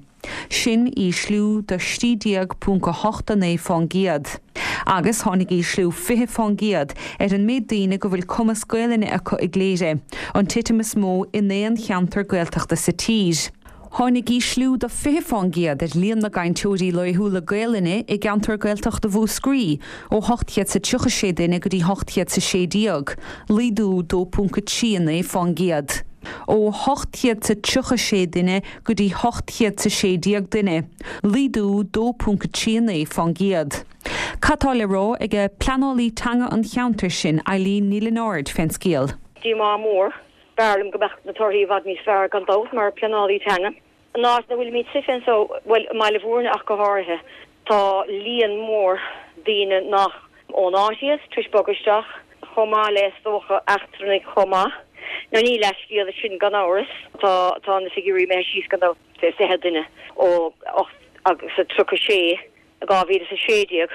Sin ísliú de trí déag ponc a hocht a naoi fán gcéad. Agus tháinig ísliú fiche fán gcéad ar an méid daoine go bhfuil cumas Gaelainne acu i gCléire, an titim is mó in aon cheantar Gaeltachta sa tír. Tháinig ísliú de fiche fán gcéad ar líon na gcainteoirí laethúla Gaelainne i gceantar Gaeltachta Mhúscraí, ó hocht chéad 's a tríocha sé duine go dtí hocht chéad 's a sé déag, laghdú dó ponc a trí naoi fán gcéad. Ó hocht chéad 's a tríocha sé duine go dtí hocht chéad 's a sé déag duine, laghdú dó ponc a trí naoi fán gcéad. Cad tá le rá ag pleanálaí teanga an cheantair sin, Eileen Ní Lionáird, fén scéal? Díomá mór. B'fhearr liom go mbeadh na torthaí i bhfad níos fearr gan dabht mar pleanálaí teanga. An áit ina bhfuilimid suite anso, bhuel, i mBaile Bhúirne ach go háirithe, tá líon mór daoine nach ón áit iad tar éis bogadh isteach, chomh maith le, is dócha, eachtrannaigh chomh maith. Now ní leathscéal é sin gan amhras. Tá, tá na figiúirí imithe síos gan dabht fiche duine ó ocht agus a tríocha sé i dhá mhíle is a sé déag.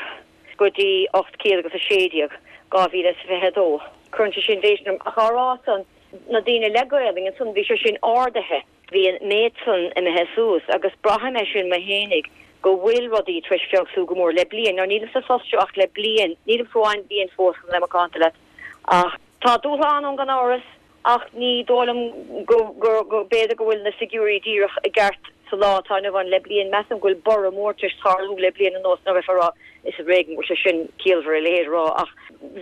go dtí ocht céad agus a sé déag, dhá mhíle is fiche a dó. Cuireann sé sin déistin orm, ach á rá san, na daoine le Gaelainn ansan, bhí sé sin ardaithe, bhí an méid san imithe suas agus braithim é sin mé fhéinig go bhfuil rudaí tar éis feabhsú go mór le bliain. Now nílim sa phost seo ach le bliain, nílim fiú amháin bliain fós chun a bheith macánta leat ach tá dúshlán ann gan amhras ach ní dóigh liom go, go, go, b'fhéidir go bhfuil na figiúirí díreach i gceart sa lá atá inniu ann le bliain. Measaim go bhfuil borradh mór tar éis tarlú le bliain anuas, nó bheifeá a rá is ar éigean go bhfuil sé sin ciallmhar a leithéid a rá ach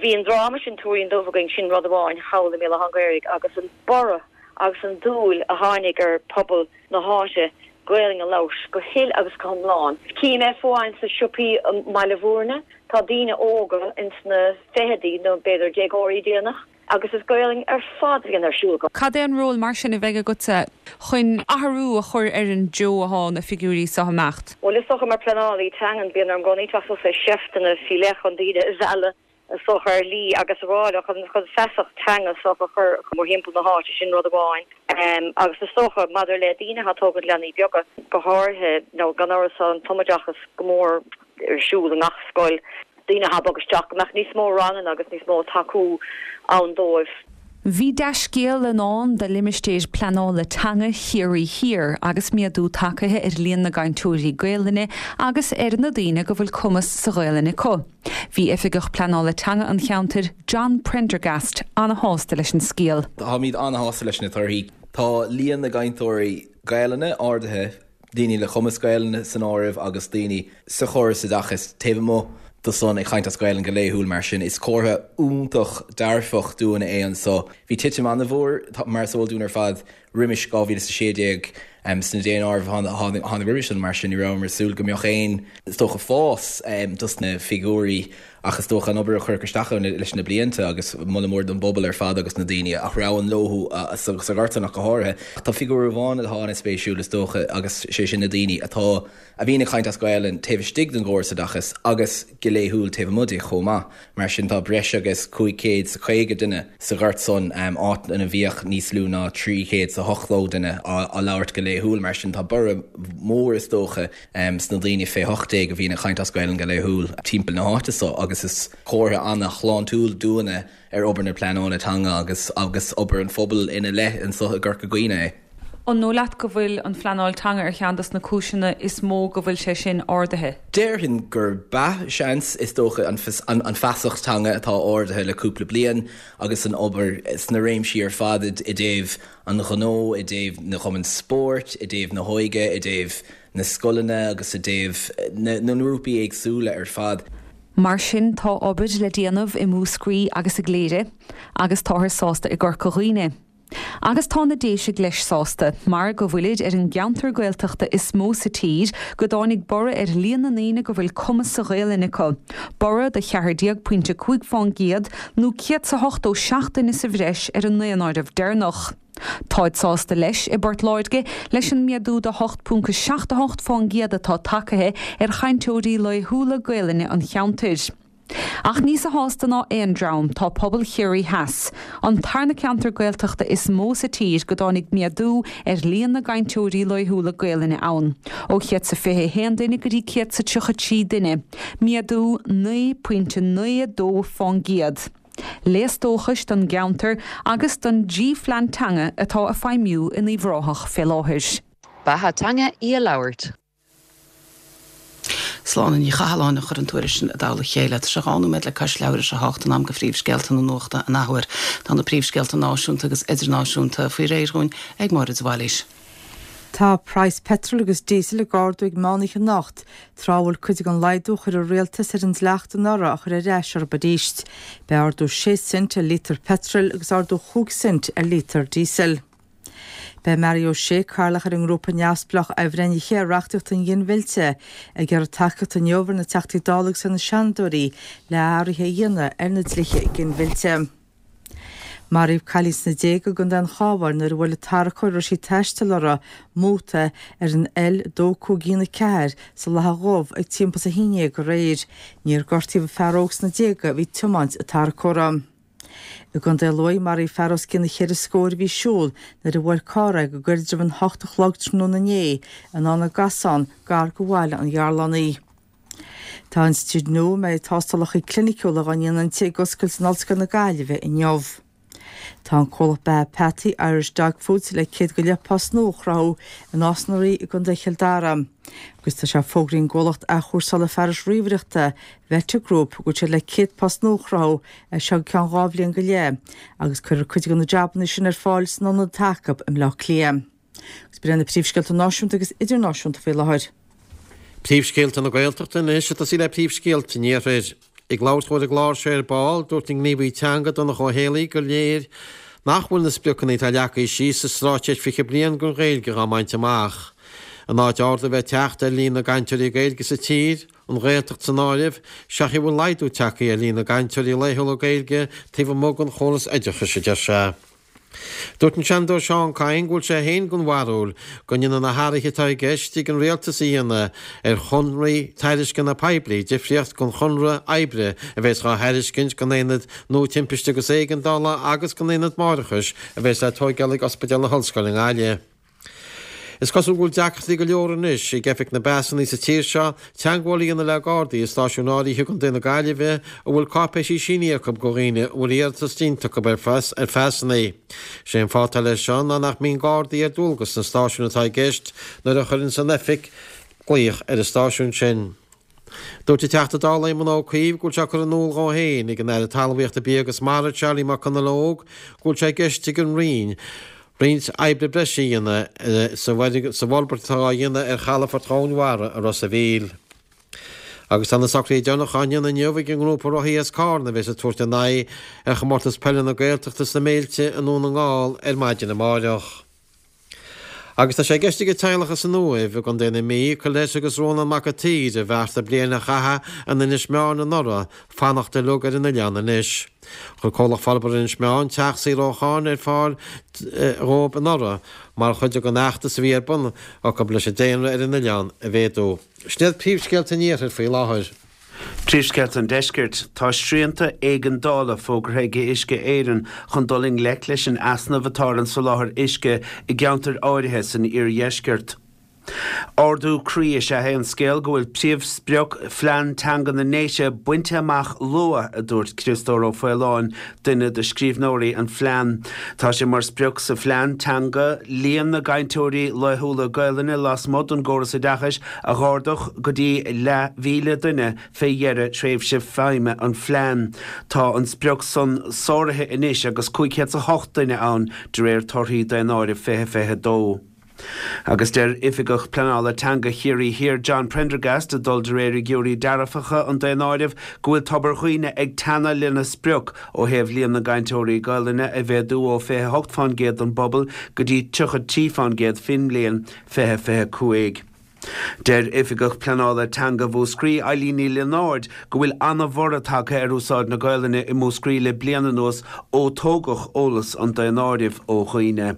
bhí an dráma sin Tuairín Dubh againn, sin rud amháin thall i mBéal Átha an Ghaorthaidh agus an borradh agus an dúil a tháinig ar phobal na háite Gaelainn a labhairt go huile agus go hiomlán. Cím é fiú amháin sna siopaí i mBaile Bhúirne, tá daoine óga ins na fichidí nó b'fhéidir déagóirí déanach agus is Gaelainn ar fad a bhíonn ar siúl acu. Cad é an ról mar sin a bheidh agatsa chun athrú a chur ar an dtreo atá na figiúirí seo ag imeacht? Bhuel is dócha mar pleanálaí teangan bíonn orm i gcónaí teacht suas le seifteanna faoi leith chun daoine a mhealladh is dócha ar shlí agus a rá leo chun chun feasacht teanga is dócha a chur mórthimpeall na háite, sin rud amháin. Agus is dócha maidir le daoine atá ag tógaint leanaí beaga go háirithe, nó gan amhras tá an tumoideachas go mór ar siúl i ngach scoil, daoine atá ag bogadh isteach, go mbeadh níos mó ranganna agus níos mó tacú ann dóibh. Bhí dea-scéal i ndán do limistéir pleanála teanga Chiarraí Thiar agus méadú tagtha ar líon na gcainteoirí Gaelainne agus ar na daoine go bhfuil cumas sa Ghaelainn acu. Bhí Oifigeach Pleanála Teanga an cheantair, John Prendergast, ana-shásta leis an scéal. Táimid ana-shásta leis na torthaí. Tá líon na gcainteoirí Gaelainne ardaithe daoine le cumas Gaelainne san áireamh agus daoine sa chóras oideachais taobh amuigh de san ag caint as Gaelainn go laethúil mar sin is comhartha iontach dearfach dúinn é anso. Bhí titim an-mhór, mar is eol dúinn ar fad, roimis dhá mhíle is a sé déag sna daonáirimh a tháinig roimis san mar sin ní rabhamar ag súil go mbeadh aon, is dócha, fás dos na figiúirí ach is dócha an obair a cuireadh isteach ann leis na blianta agus moladh mór don bpobal ar fad agus na daoine a threabhann leo sa ghort san ach go háirithe. Tá figiúr amháin atá an-spéisiúil is dócha agus sé sin na daoine atá a bhíonn ag caint as Gaelainn taobh istigh den gcóras oideachais agus go laethúil taobh amuigh de chomh maith. Mar sin tá breis agus cúig chéad 's a caoga duine sa ghort san, áit ina bhíodh níos lú ná trí chéad 's a hochtó duine á labhairt go laethúil. Mar sin tá borradh mór is dócha sna daoine fé hocht déag a bhíonn ag caint as Gaelainn go laethúil timpeall na háite so agus is comhartha ana-shláintiúil dúinne ar obair na pleanála teanga agus agus obair an phobail ina leith anso i gCorca Dhuibhne é. An dóigh leat go bhfuil an phleanáil teanga ar cheann dos na cúiseanna is mó go bhfuil sé sin ardaithe? Déarfainn gurb ea, seans. Is dócha an feasacht teanga atá ardaithe le cúpla bliain agus an obair sna réimsí ar fad i dtaobh an ghnó, i dtaobh na gcumann spóirt, i dtaobh na hóige, i dtaobh na scoileanna agus i dtaobh na ngrúpaí éagsúla ar fad. Mar sin tá obair le déanamh i Múscraí agus i gCléire agus táthar sásta i gCorca Dhuibhne. Agus tá na Déisigh leis sásta, mar go bhfuilid ar an gceantar Gaeltachta is mó sa tír go dtáinig borradh ar líon na ndaoine go bhfuil cumas sa Ghaelainn acu, borradh de cheathair déag pointe cúig fán gcéad nó céad 's a hochtó seacht duine sa bhreis ar an ndaonáireamh deireanach. Táid sásta leis i bPort Láirge leis an méadú de hocht ponc seacht a hocht fán gcéad atá tagtha ar chainteoirí laethúla Gaelainne an cheantair. Ach níosa shásta ná aon dream tá pobal Chiarraí Theas, an tarna ceantar Gaeltachta is mó sa tír go dtáinig méadú ar líon na gcainteoirí laethúla Gaelainne ann, ó chéad 's a fiche a haon duine go dtí céad 's a tríocha trí duine, méadú naoi pointe naoi a dó fán gcéad. Léas dóchais don gceantar agus don dtrí phlean teanga atá ag feidhmiú in Uíbh Ráthach fé láthair. Beatha teanga í a labhairt. Sláine Ní Chathalláin a chuir an tuairisc sin i dtoll a chéile. Tá sé dhá nóiméad le cois leathuair tar éis a hocht in am do phríomhscéalta na nuachta an athuair. Tá na príomhscéalta náisiúnta agus idirnáisiúnta faoi réir dhúinn ag Máire de Bhailís. Tá praghas peitril agus díosail ag ardú ag meánoíche anocht, tráth a bhfuil cuid den laghdú a chuir an rialtas ar an dleacht anuraidh á chur ar ais orthu arís. Beidh ardú sé cent ar lítear peitril agus ardú chúig cent ar lítear díosail. Beidh Mary O'Shea, cathaoirleach ar an ngrúpa neamhspleách athbhreithnithe ar reachtaíocht an ghinmhillte, ag iarraidh tacaíocht inniu ar na Teachtaí Dála agus ar na Seanadóirí le hathruithe a dhéanamh ar na dlíthe ginmhillte. Maraíodh cailín sna déaga i gContae an Chabháin nuair a bhuail an tarracóir a raibh sí ag taisteal uirthi móta ar an L dó cúig aon a ceathair sa Latha Dhubh ag timpeall is a haon déag aréir. Níor gortaíodh an fear óg sna déaga a bhí ag tiomáint an tarracóra. I gContae Lú, maraíodh fear os cionn cheithre scór a bhí ag siúl nuair a bhuail carr é go gairid roimh an hocht a chlog tráthnóna inné in Abhainn na gCasán gar do Bhaile an Ghearlánaigh. Tá Tá institiúid nua a mbeidh tástálacha cliniciúla á ndéanamh inti ag oscailt in Ollscoil na Gaillimhe inniu. Tá an comhlacht beatha peataí Irish Dog Foods le céad go leith post nua a chruthú i Nás na Rí i gContae Chill Dara. Agus tá sé fógraithe ag an gcomhlacht athchúrsála fearais ríomhaireachta Vector Group go bhfuil siad le céad post nua a chruthú as seo go ceann dhá bhliain go leith agus cuirfear cuid de na jabanna sin ar fáil san ionad atá acu i mBleá Cliath. Agus b'in na príomhscéalta náisiúnta agus idirnáisiúnta faoi láthair. Príomhscéalta na Gaeltachta anois ag tosaí le príomhscéalta an Iarthair. Ag labhairt dó ar an gclár seo ar ball, dúirt an gníomhaí teanga Donncha Ó Héalaí gur léir nach bhfuil na spriocanna atá leagtha síos sa Straitéis fiche Bliain don Ghaeilge á mbaint amach. In áit ardú a bheith ag teacht ar líon na gcainteoirí Gaeilge sa tír, an Ghaeltacht san áireamh, sé go bhfuil laghdú tagtha ar líon na gcainteoirí laethúla Gaeilge taobh amuigh den chóras oideachais, a deir sé. Dúirt an Seanadóir Seán Kyne go bhfuil sé féin den bharúil go ndéanann na hathruithe atá i gceist ag an rialtas a dhéanamh ar chonarthaí tairisceana poiblí difríocht don chonradh oibre a bheas á thairiscint don aonad nua timpiste agus éigeandála agus don aonad máithreachais a bheas le tóigeáil ag Ospidéal na hOllscoile i nGaillimh. Is cosúil go bhfuil deacrachtaí go leor anois ag Oifig na bPasanna sa tír seo teagmháil a dhéanamh le Gardaí i stáisiúin áirithe i gContae na Gaillimhe a bhfuil cáipéisí sínithe acu do dhaoine a bhfuil iarratas déanta acu ar phasanna. Sé an fáth atá leis seo ná nach mbíonn Gardaí ar dualgas sna stáisiúin atá i gceist nuair a chuireanns an Oifig glaoch ar an stáisiún sin. Dúirt an Teachta Dála Éamon Ó Cuív go bhfuil sé curtha in iúl dhó féin ag an Aire Talmhaíochta, Bia agus Mara, Charlie McConalogue, go bhfuil sé i gceist ag an Roinn roinnt oibre breise a dhéanamh sa bhforbairt atá á dhéanamh ar chalafort Dhomhain Mhara i Ros a' Mhíl. Agus tá na socruithe deireanacha á ndéanamh inniu ag an ngrúpa rothaí as Carna a bheas ag tabhairt a n-aghaidh ar chomórtas peile na Gaeltachta sna Méilte i nDún na nGall ar maidin amáireach. Agus tá sé i gceist ag an teaghlach as an Uaimh i gContae na Mí, Colette agus Rónán Mac an tSaoir, a bheartaigh bliain a chaitheamh in Inis Meáin anuraidh, fanacht uilig ar an oileán anois. Chuir Comhlacht Forbartha Inis Meáin teach saor ó cháin ar fáil dhóibh anuraidh mar chuid den fheachtas a bhí ar bun acu leis an daonra ar an oileán a mhéadú. Sin iad príomhscéalta an iarthair faoi láthair. Príomhscéalta an Deiscirt, Tá srianta éigeandála fógartha ag Uisce Éireann chun dul i ngleic leis an easnamh atá ar an soláthar uisce i gceantair áirithe san iardheisceart. Ardú croí is ea é an scéal go bhfuil príomhsprioc Phlean Teanga na nDéise bainte amach luath, a dúirt Criostóir Ó Faoláin, duine de scríbhneoirí an phlean. Tá sé mar sprioc sa phlean teanga líon na gcainteoirí laethúla Gaelainne lasmuigh den gcóras oideachais a dh'ardú go dtí leathmhíle duine fé dheireadh tréimhse feidhme an phlean. Tá an sprioc san sáraithe anois agus cúig chéad 's a hocht duine ann de réir torthaí Daonáireamh fiche fiche dó. Agus deir Oifigeach Pleanála Teanga Chiarraí Thiar John Prendergast, ag dul de réir fhigiúirí dearfacha an daonáirimh, go bhfuil Tobar Dhuibhne ag teannadh lena sprioc ó thaobh líon na gcainteoirí Gaelainne a mhéadú ó fiche hocht fán gcéad den bpobal go dtí tríocha trí fán gcéad fén mbliain fiche fiche cúig. Deir Oifigeach Pleanála Teanga Mhúscraí, Eileen Ní Lionáird, go bhfuil ana-bhorradh tagtha ar úsáid na Gaelainne i Múscraí le bliain anuas ó tógadh eolas an daonáirimh ó dhaoine.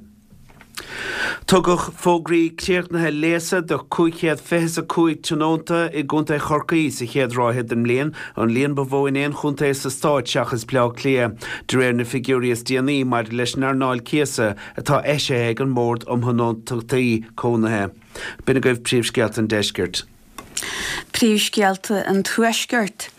Tugadh fógraí críochnaithe léasa do cúig chéad fiche 's a cúig tionónta i gContae Chorcaí sa chéad ráithe den mbliain, an líon ba mhó in aon chontae sa stát seachas Bleá Cliath, de réir na figiúirí is déanaí maidir leis an earnáil cíosa atá eisithe ag an mBord um Thionóntachtaí Cónaithe. B'in agaibh príomhscéalta an deiscirt. Príomhscéalta an Tuaiscirt.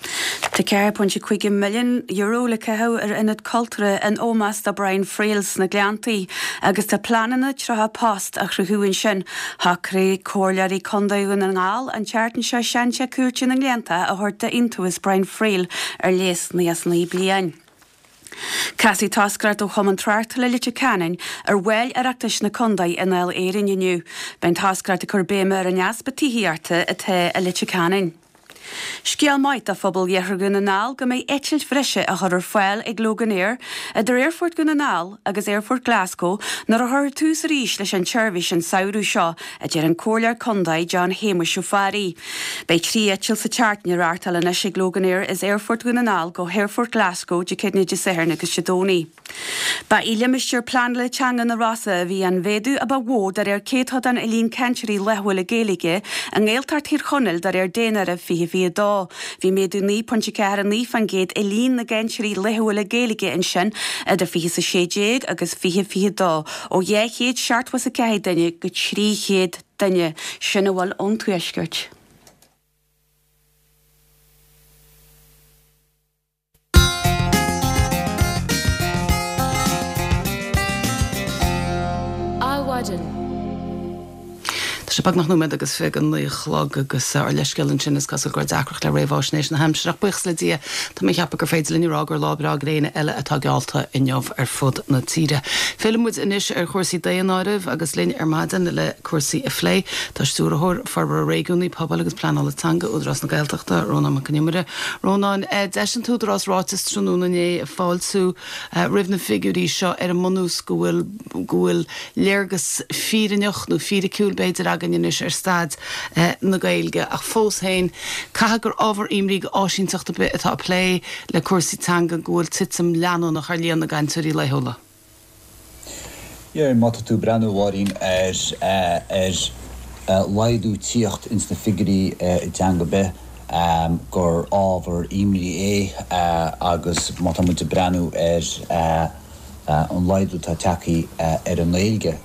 Tá ceathair pointe cúig milliún euro le caitheamh ar ionad cultúrtha in ómós do Brian Friel sna Gleanntaí agus tá pleananna tríocha post a chruthú ansin. Shocraigh Comhairleoirí Contae Dhún na nGall an tseachtain seo seanteach cúirte na nGleannta a thabhairt d'Iontaobhas Brian Friel ar léas nócha is naoi bliain. Casfaidh toscaireacht ó Chumann Tráchtála Leitir Ceanainn ar bhaill Oireachtais na contae i nDáil Éireann inniu. Beidh an toscaireacht ag cur béime ar an easpa tithíochta atá i Leitir Ceanainn. Scéal maith do phobal Iarthar Dhún na nGall go mbeidh eitilt bhreise á chur ar fáil ag Loganair idir Aerfort Dhún na nGall agus Aerfort Glasgow nuair a chuirfear tús arís leis an tseirbhís an samhradh seo, a deir an Comhairleoir Contae John Shéamuis Ó Fearraigh. Beidh trí eitilt sa tseachtain á reáchtáil anois ag Loganair as Aerfort Dhún na nGall go hAerfort Glasgow Dé Céadaoine, Dé Sathairn agus Dé Domhnaigh. Ba i limistéar pleanála teanga na Rosa a bhí an mhéadú a ba mhó de réir céatadán i líon cainteoirí laethúla Gaeilge i nGaeltacht Thír Chonaill de réir Daonáireamh fiche fiche dó. Bhí méadú naoi pointe ceathair a naoi faoin gcéad i líon na gcainteoirí laethúla Gaeilge ansin idir fiche is a sé déag agus fiche fiche dó, ó dhá chéad seachtó is a ceathair duine go trí chéad duine. Sin a bhfuil ón Tuaisceart. Sé beagnach nóiméad agus fiche go naoi a chlog agus ár leithscéal ansin is cosúil go raibh deacracht le réamhaisnéis na haimsire ach buíochas le Dia tá mé ag ceapadh gur féidir linn a rá gur lá breá gréine eile atá geallta inniu ar fud na tíre. Fillfidh muid anois ar chúrsaí daonáirimh agus linn ar maidin le cúrsaí a phlé tá Stiúrthóir Forbartha Réigiúnaí Pobail agus Pleanála Teanga Údarás na Gaeltachta Rónán Mac Con Iomaire. Rónán eh, d'eisigh an tÚdarás ráiteas tráthnóna inné ag fáiltiú eh, roimh na figiúirí seo ar an mbunús go bhfuil go bhfuil léargas fírinneach nó fíriciúil b'fhéidir againn anois ar staid eh, na Gaeilge ach fós féin caithfidh gur ábhar imní d'áisínteacht ar bith atá ag plé le cúrsaí teanga go bhfuil titim leanúnach ar líon na gcainteoirí laethúla. Yeah, má tá tú ag breathnú a Mháirín ar eh, ar eh, laghdú tíocht ins na figiúirí i dteanga ar bith um, gur ábhar imní é uh, agus má tá muid ag breathnú ar uh, uh, an laghdú atá tagtha uh, ar an nGaeilge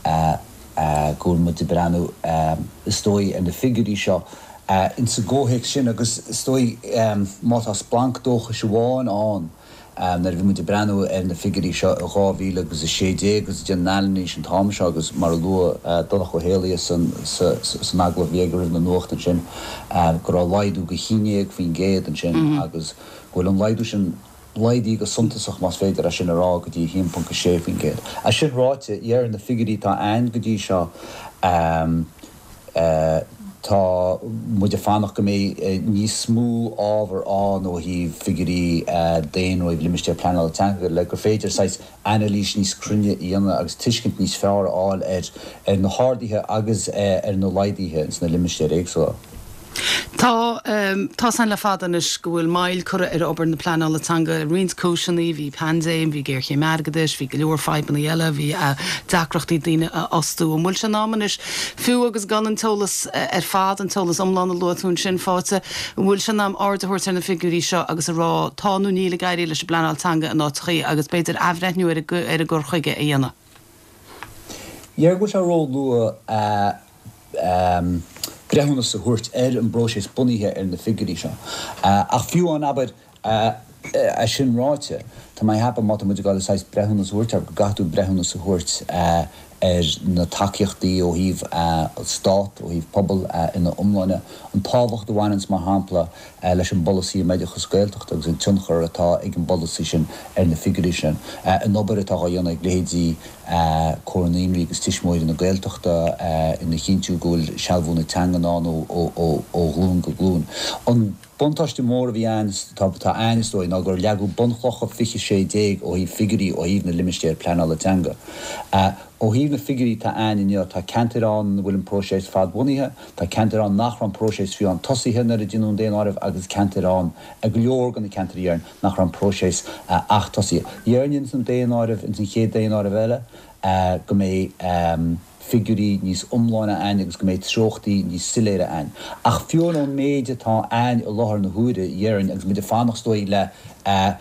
uh, uh, go bhfuil muid ag breathnú um, is dóigh ar na figiúirí seo uh, in sa gcomhthéacs sin agus is dóigh um, má tá splanc dóchais amháin ann um, nuair a bhí muid ag breathnú ar na figiúirí seo i dhá mhíle agus a sé déag agus déanamh anailís an t-am seo agus mar a luaigh uh, Donncha Ó hÉalaithe san san agallamh a bhí aige roimh na nuacht ansin uh, go raibh laghdú go haon déag faoin gcéad ansin mm -hmm. agus go bhfuil an laghdú sin laghdaithe go suntasach más féidir é sin a rá go dtí haon ponc sé faoin gcéad. É sin ráite ar na figiúirí atá ann go dtí seo um, uh, tá muid ag fanacht go mbeidh eh, níos mó ábhar ann ó thaobh figiúirí uh, daonáirimh limistéir pleanála teanga le gur féidir saghas anailís níos cruinne a dhéanamh agus tuiscint níos fearr a fháil ar ar na harduithe agus uh, ar na laghduithe sna limistéir éagsúla. Tá um, tá san le fada anois go bhfuil moill curtha ar obair na pleanála teanga roinnt cúiseanna, bhí paindéim, bhí géarchéim airgeadais, bhí go leor fadhbanna eile, bhí uh, deacrachtaí daoine a fhostú an bhfuil sé in am anois fiú agus gan an t-eolas uh, ar fad an t-eolas iomlán a luaigh tú ansin faighte, an bhfuil sé in am aird a thabhairt ar na figiúirí seo agus a rá tá nó níl ag éirí leis an bpleanáil teanga in áiteachaí agus b'fhéidir athbhreithniú ar ar an gcur chuige a dhéanamh. Dhéarfainn go bhfuil sé ró-luath uh, um, breithiúnas a thabhairt ar an bpróiseas bunaithe ar na figiúirí seo. Uh, ach fiú an abair uh, é sin ráite, Tá mé ag ceapadh má tá muid ag gabháil saghas breithiúnas a thabhairt ar go gcaithfidh tú breithiúnas a thabhairt uh, ar na tacaíochtaí ó thaobh uh, stát ó thaobh pobal uh, ina iomláine an tábhacht a bhaineann mar shampla uh, leis an bpolasaí um oideachas Gaeltachta agus an tionchar atá ag an bpolasaí sin ar na figiúirí sin. Uh, an obair atá á dhéanamh ag leithéidí uh, Comhar na Naíonraí agus Tuismitheoirí na Gaeltachta uh, ina chinntiú go bhfuil sealbhú na teangan ann ó, ó, ó, ó ghlúin go glúin. An buntáiste mór a bhí ann tá ann is dóigh ná gur leagadh bunchlocha fiche sé déag ó thaobh figiúirí ó thaobh na limistéir pleanála teanga. Uh, ó thaobh na figiúirí atá ann inniu tá ceantair ann bhfuil an próiseas fadbhunaithe, tá ceantair ann nach raibh an próiseas fiú an tosaithe nuair a deineadh an daonáireamh agus ceantair ann a go leor de na ceantair ann nach raibh an próiseas uh, ach tosaithe. Déarfainn san daonáireamh in san chéad daonáireamh eile uh, go mbeidh um, figiúirí níos iomláine ann agus go mbeidh treochtaí níos soiléire ann. Ach fiú ón méid atá ann i láthair na huaire déarfainn agus muid ag fanacht is dóigh le uh,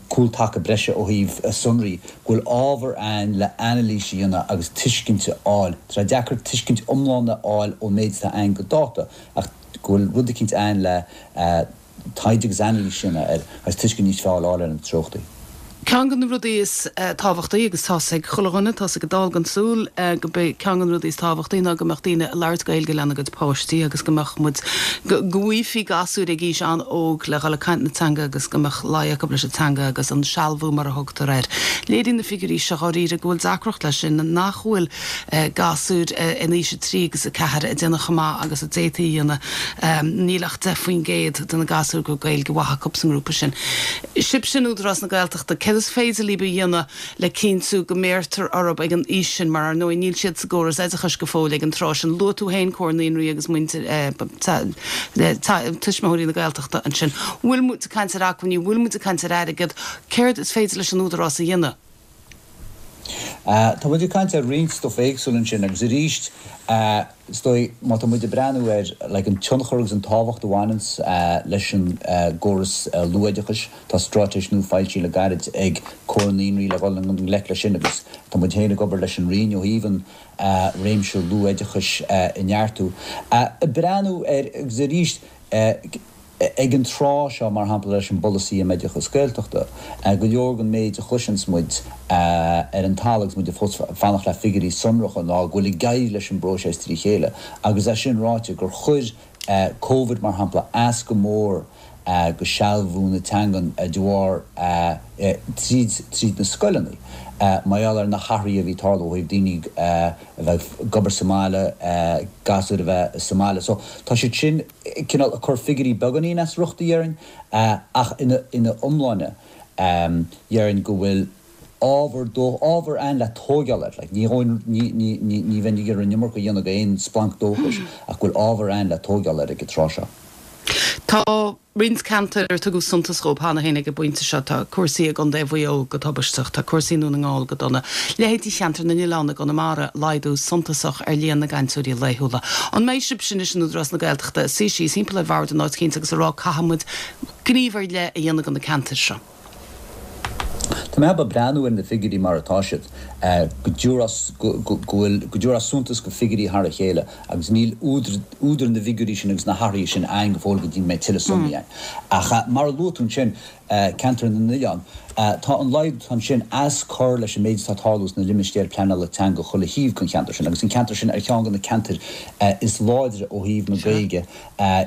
cúltaca breise ó thaobh uh, sonraí, go bhfuil ábhar ann le anailís a dhéanamh agus tuiscint a fháil. Tá deacair tuiscint iomlán a fháil ón méid atá ann go dáta ach go bhfuil rud éicint ann le uh, taighde agus anailís sin ar agus tuiscint níos fearr a fháil ar na treochtaí. Ceann de na rudaí is uh, tábhachtaí agus tá ag chuile dhuine tá ag dul gan súil uh, go be ceann de na rudaí is tábhachtaí ná go mbeadh daoine ag labhairt Gaeilge lena gcuid páistí agus go mbeadh muid go bhfaighfí gasúir ag aois an-óg le dhul ag caint na teanga agus go mbeadh luí acu leis an teanga agus an sealbhú mar a thugtar air. Léiríonn na figiúirí seo dáiríre go bhfuil deacracht leis sin nach bhfuil uh, gasúir uh, in aois a trí agus a ceathair ag déanamh chomh maith agus a d'fhéadfaí a dhéanamh um, níl ach deich faoin gcéad de na gasúir go Gaeilge mhaith acu san ngrúpa sin. Sib sin Údarás na Gaeltachta céard is féidir libh a dhéanamh le cinntiú go mbéartar orthu ag an aois sin mar ar ndóigh níl siad sa gcóras oideachais go fóill ag an tráth sin luaigh tú féin Comhar Naíonraí agus muintir Tuismitheoirí na Gaeltachta ansin. Bhfuil muid ag caint ar acmhainní, bhfuil muid ag caint ar airgead, céard is féidir leis an údarás a dhéanamh. Uh, tá muid ag caint ar roinnt stuff éagsúil ansin agus arís uh, is dóigh má tá muid ag breathnú ar like, an tionchar agus an tábhacht a bhaineann uh, leis an uh, gcóras uh, luathoideachais tá straitéis nua foilsithe le gairid ag Comhar na Naíonraí le dhul i ngleic leis sin agus tá muid féin ag obair leis an Roinn ó thaobh an uh, réimse luathoideachais uh, a neartú. Uh, breathnú ar agus arís uh, Ag an tráth seo, mar shampla, leis an bpolasaí um oideachas Gaeltachta, go leor den méid a chloiseanns muid ar an talamh agus muid fós ag fanacht le figiúirí sonracha ná go bhfuil ag éirí leis an bpróiseas trí chéile agus é sin ráite gur chuir Covid, mar shampla, as go mór go sealbhú na teangan de bharr tríd tríd na scoileanna mar gheall ar na hathruithe a bhí ag tarlú ó thaobh daoine a bheith ag obair sa mbaile, gasúir a bheith sa mbaile. So tá siad sin cineál ag cur figiúirí beagáinín as riocht, a déarfainn, ach ina ina iomláine déarfainn go bhfuil ábhar dó ábhar ann le tógáil air. Like ní ní ní ní ní bheinn ag iarraidh an iomarca a dhéanamh de aon splanc dóchais ach go bhfuil ábhar ann le tógáil air ag an tráth seo. Tá roinnt ceantar ar tugadh suntas dhóibh cheana féin ag an bpointe seo. Tá cúrsaí i gContae Mhaigh Eo go tubaisteach, tá cúrsaí i nDún na nGall go dona. Leithéidí cheantar na nOileán i gConamara, laghdú suntasach ar líon na gcainteoirí laethúla. An mbeidh sibhse anois in Údarás na Gaeltachta ag suí síos timpeall ar bhord in áit éicint agus ag rá caithfidh muid gníomh ar leith a dhéanamh do na ceantair seo? Tá mé ag breathnú ar na figiúirí mar atá siad, go dtabharfá go bhfuil, go dtabharfá suntas go figiúirí thar a chéile agus níl údar, údar na bhfigiúirí sin agus na hathruithe sin againn go fóill go dtí go mbeidh tuilleadh sonraí againn. Ach mar a luaigh tú ansin, ceantar na n-oileán, tá an laghdú ansin as cur leis an méid atá ag tarlú sna limistéir pleanála teanga chuile thaobh den cheantar sin agus an ceantar sin ar cheann de na ceantair is láidre ó thaobh na Gaeilge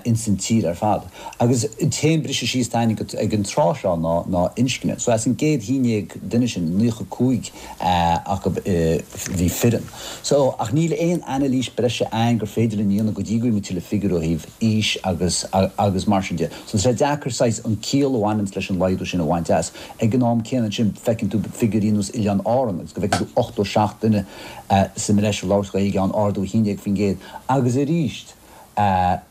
ins an tír ar fad. Agus an t-aon briseadh síos atá againn ag an tráth seo ná ná inscne. So as an gcéad haon déag duine sin, naocha cúig acu bhí fireann. So ach níl aon anailís breise againn gur féidir linn a dhéanamh go dtí go bhfaighidh muid tuilleadh figiúr ó thaobh aois agus agus mar sin de. So tá sé deacair saghas an ciall a bhaineanns leis an laghdú sin a bhaint as. Ag an am céanna ansin feiceann tú figiúirí nós Oileáin Árann agus go bhfeiceann tú ochtó seacht duine sa mbreis ag labhairt Gaeilge ann, ardú a haon déag faoin gcéad. Agus arís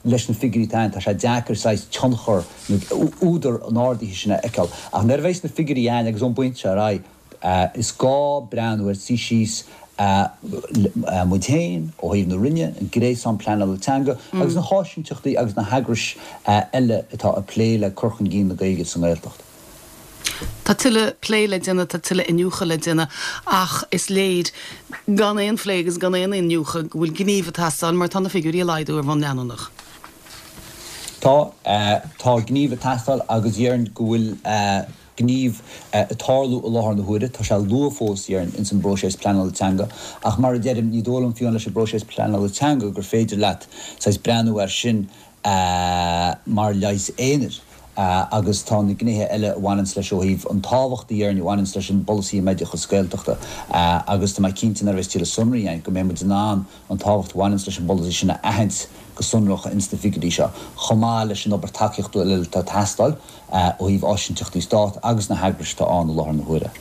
leis na figiúirí atá ann, tá sé deacair saghas tionchar nó údar an ardaithe sin a fheiceáil. Ach nuair a bheas na figiúirí ann agus ón bpointe seo ar aghaidh, is gá breathnú air, suí síos muid féin ó thaobh na Roinne, an gréasán pleanála teanga agus na háisinteachtaí agus na heagrais eile atá ag plé le cur chun cinn na Gaeilge sa nGaeltacht. Tá tuilleadh plé le déanamh, tá tuilleadh iniúchadh le déanamh ach is léir gan aon phlé agus gan aon iniúchadh go bhfuil gníomh ag teastáil mar tá na figiúirí ag laghdú ar bhonn leanúnach. Tá, tá gníomh ag teastáil agus déarfainn go bhfuil gníomh ag tarlú i láthair na huaire. Tá sé luath fós, déarfainn, ins an bpróiseas pleanála teanga ach mar a deirim, ní dóigh liom fiú amháin leis an bpróiseas pleanála teanga gur féidir leat saghas breathnú air sin mar leigheas aonair. Agus tá na gnéithe eile a bhaineanns leis ó thaobh an tábhacht a déarfainn a bhaineanns leis an bpolasaí um oideachas Gaeltachta agus tá mé cinnte nuair a bheas tuilleadh sonraí againn go mbeidh muid in ann an tábhacht a bhaineanns leis an bpolasaí sin a aithint go sonrach ins na figiúirí seo chomh maith leis an obair tacaíochta eile atá ag teastáil ó thaobh áisinteachtaí Stát agus na heagrais atá ann i láthair na huaire.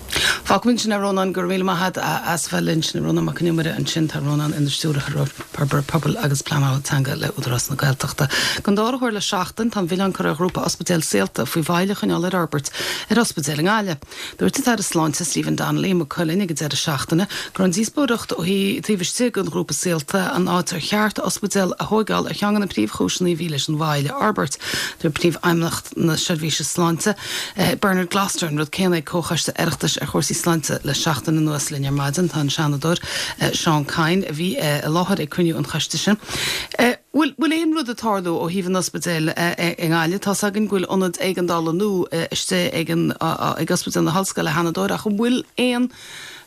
Fágfaimid ansin é a Rónáin, go raibh míle maith agat as bheith linn. Sin Rónán Mac Con Iomaire ansin. Tá Rónán ina Stiúrthóir Forbartha Pobail agus Pleanála Teanga le Údarás na Gaeltachta. Don dara huair le seachtain, tá an milleán curtha ar ghrúpa ospidéil Saolta faoi mhoill a choinneáil ar fhorbairt ar ospidéal i nGaillimh. Dúirt an tAire Sláinte Stephen Donnelly i Maigh Cuilinn ag an deireadh seachtaine go raibh an díospóireacht ó taobh istigh den ghrúpa Saolta an áit ar cheart ospidéal a thóigeáil ar cheann de na príomhchúiseanna a bhí leis an mhoill a fhorbairt. Dúirt Príomhfheidhmeannach na Seirbhíse Sláinte, Bernard Gloster, an rud céanna ag Comhchoiste Oireachtais ar chúrsaí sláinte le seachtain anuas. Linn ar maidin tá an Seanadóir Seán Kyne a bhí i láthair ag cruinniú an choiste sin. Bhfuil bhfuil aon rud ag tarlú ó thaobh an ospidéil i nGaillimh? Tá's againn go bhfuil ionad éigeandála nua istigh ag an ag Ospidéal na hOllscoile, a Sheanadóir, ach an bhfuil aon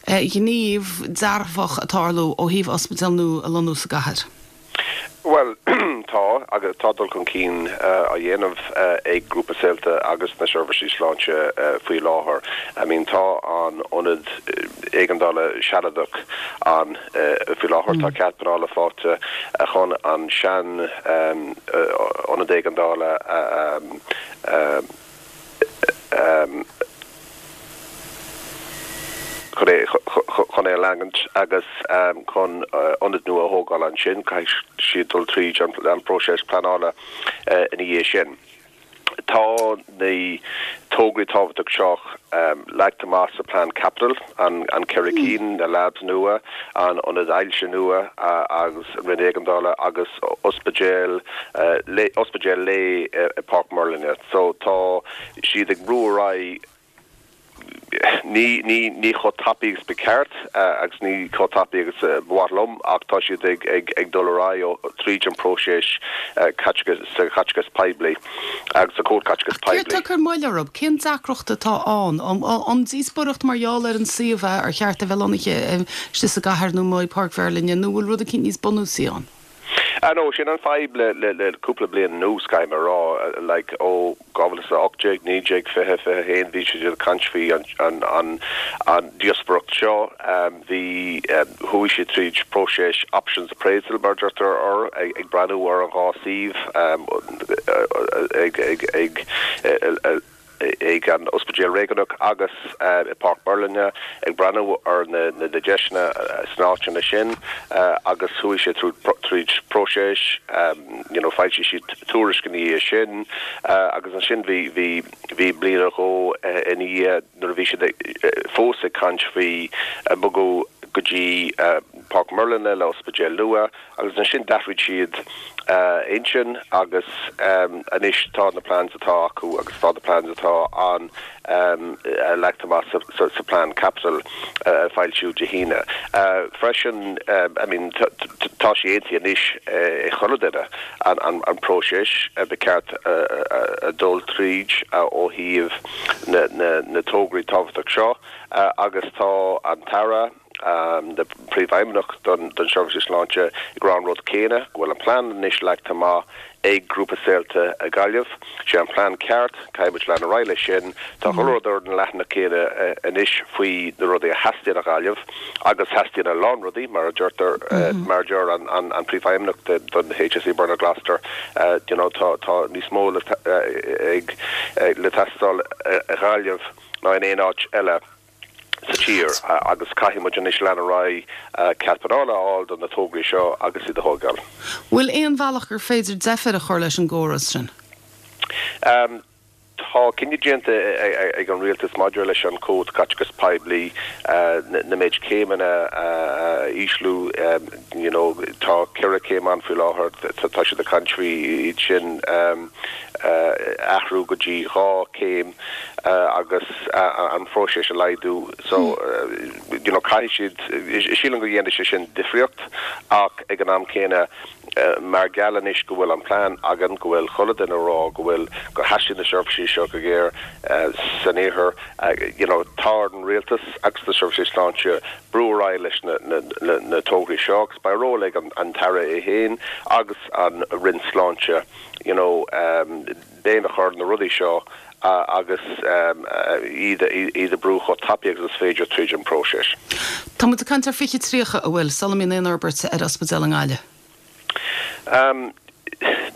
ghníomh dearfach ag tarlú ó thaobh ospidéal nua a lonnú sa gcathair? Bhuel, tá, agus tá dul chun cinn á dhéanamh ag Grúpa Saolta agus na seirbhísí sláinte faoi láthair. I mean, tá an ionad éigeandála sealadach ann faoi láthair. Tá cead pleanála faighte chun an sean ionad éigeandála a chun é chun é a leangaint agus chun ionad nua a thógáil ansin. Caithfidh siad dul tríd an bpróiseas pleanála ina dhiaidh sin. Tá na tograí tábhachtach seo leagtha amach sa Plean Caipitil, an ceithre cinn, na labs nua, an ionad ailse nua agus an Roinn Éigeandála agus ospidéal ospidéal lae i Páirc Merlin. So tá siad ag brú ar aghaidh. Ní ní ní chomh tapaidh agus ba cheart agus ní chomh tapaidh agus ba mhaith liom ach tá siad ag ag ag dul ar aghaidh tríd an próiseas caiteachas sa chaiteachas poiblí agus sa chód caiteachas Ach céard poiblí. tá ag cur moill orthu? Cén deacracht atá ann? An díospóireacht mar gheall ar an suíomh é, ar cheart a bheith lonnaithe istigh sa gcathair nó amuigh i Páirc Mheirlinne nó bhfuil rud eicínt níos bunúsaí ann? Ah no, sin an fadhb le le le cúpla bliain anuas, caithfidh mé a rá, like ó dhá mhíle is a hocht déag, naoi déag, fiche, fiche a haon, bhí siad ag caint faoi an an an an díospóireacht seo, bhí chuaigh siad tríd próiseas options appraisal mar a deirtear air, ag ag breathnú ar an dhá suíomh ag ag ag ag an Ospidéal Réigiúnach agus i Páirc Mheirlinne, ag breathnú ar na deiseanna sna háiteanna sin agus chuaigh sé tríd próiseas, you know foilsigh siad tuairisc ina dhiaidh sin agus ansin bhí bhí bhí bliain nó dhó ina dhiaidh nuair a bhí siad fós ag caint faoi bogadh go dtí Páirc Mheirlinne le ospidéal nua agus ansin d'athraigh siad intinn agus anois tá na plans atá acu agus tá na plans atá ann leagtha amach sa plean caipitil a foilsíodh Dé hAoine. Freisin, I mean tá sé aontaithe anois ag chuile duine an próiseas ba cheart a dul tríd ó thaobh na tograí tábhachtach seo agus tá an tAire, na Príomhfheidhmeannach don Seirbhís Sláinte ag rá an rud céanna, go bhfuil an plean anois leagtha amach ag Grúpa Saolta i Gaillimh. Sé an plean ceart, caithfidh muid lean ar aghaidh leis sin. Tá chuile rud ar an leathanach céanna anois faoi na rudaí a theastaíonn ó Ghaillimh agus theastaíonn a lán rudaí, mar a deirtear, mar a deir an Príomhfheidhmeannach don HSE Bernard Gloster, you know tá níos mó le teastáil i Ghaillimh ná in aon áit eile. sa tír agus caithfidh muid anois lean ar aghaidh cead pleanála a fháil do na tograí seo agus iad a thógáil. Bhfuil aon bhealach gur féidir deifir a chur leis an gcóras sin? Tá cinneadh déanta ag an Rialtas maidir leis an Chód Caiteachais Poiblí na méid céimeanna a ísliú. You know tá ceithre chéim ann faoi láthair, tá siad ag caint faoi iad sin a athrú go dtí dhá chéim agus an phróiseas a laghdú. So you know caithfidh siad, sílim go dhéanfaidh sé sin difríocht ach ag an am céanna mar gheall anois go bhfuil an plean againn, go bhfuil chuile duine ag rá go bhfuil, go theastaíonn na seirbhísí seo go géar san iarthar, you know tá ar an rialtas agus na seirbhísí sláinte brú ar aghaidh leis na na na tograí seo agus beidh ról ag an tAire é féin agus an Roinn Sláinte you know béim a chur ar na rudaí seo agus iad iad a brú chomh tapaidh agus is féidir tríd an próiseas. Tá muid ag caint ar fiche tríocha, an bhfuil, sula mbíonn aon fhorbairt ar ospidéal i nGaillimh?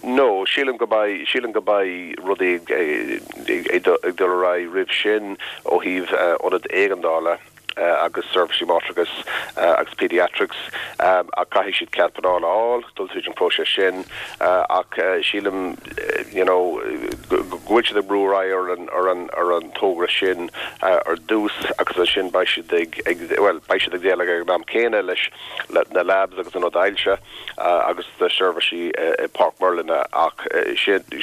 No, sílim go mbeidh, sílim go mbeidh rudaí ag dul ar aghaidh roimh sin ó thaobh ionad éigeandála agus seirbhísí máithreachais agus pediatrics ach caithfidh siad cead pleanála a fháil, dul tríd an próiseas sin ach sílim you know go bhfuil siad ag brú ar aghaidh ar an ar an ar an togra sin ar dtús agus ansin beidh siad ag ag bhuel beidh siad ag déileáil ag an am céanna leis na labs agus an ionad ailse agus na seirbhísí i Páirc Mheirlinne ach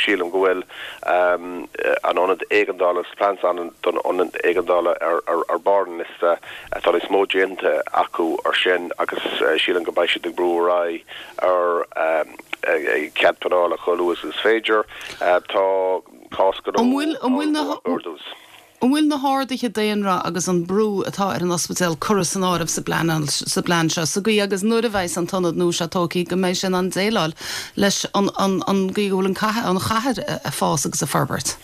sílim go bhfuil an ionad éigeandála agus plans ann don ionad éigeandála ar barr an liosta. Tá níos mó déanta acu ar sin agus sílim go mbeidh siad ag brú ar aghaidh ar cead pleanála chomh luath is is féidir. Tá cás gnó ar dtús. An bhfuil na harduithe daonra agus an brú atá ar an ospidéal curtha san áireamh sa bplean seo, sa gcaoi agus nuair a bheas an t-ionad nua seo tógtha go mbeidh sé in ann déileáil leis an gcaoi go bhfuil an chathair ag fás agus ag forbairt?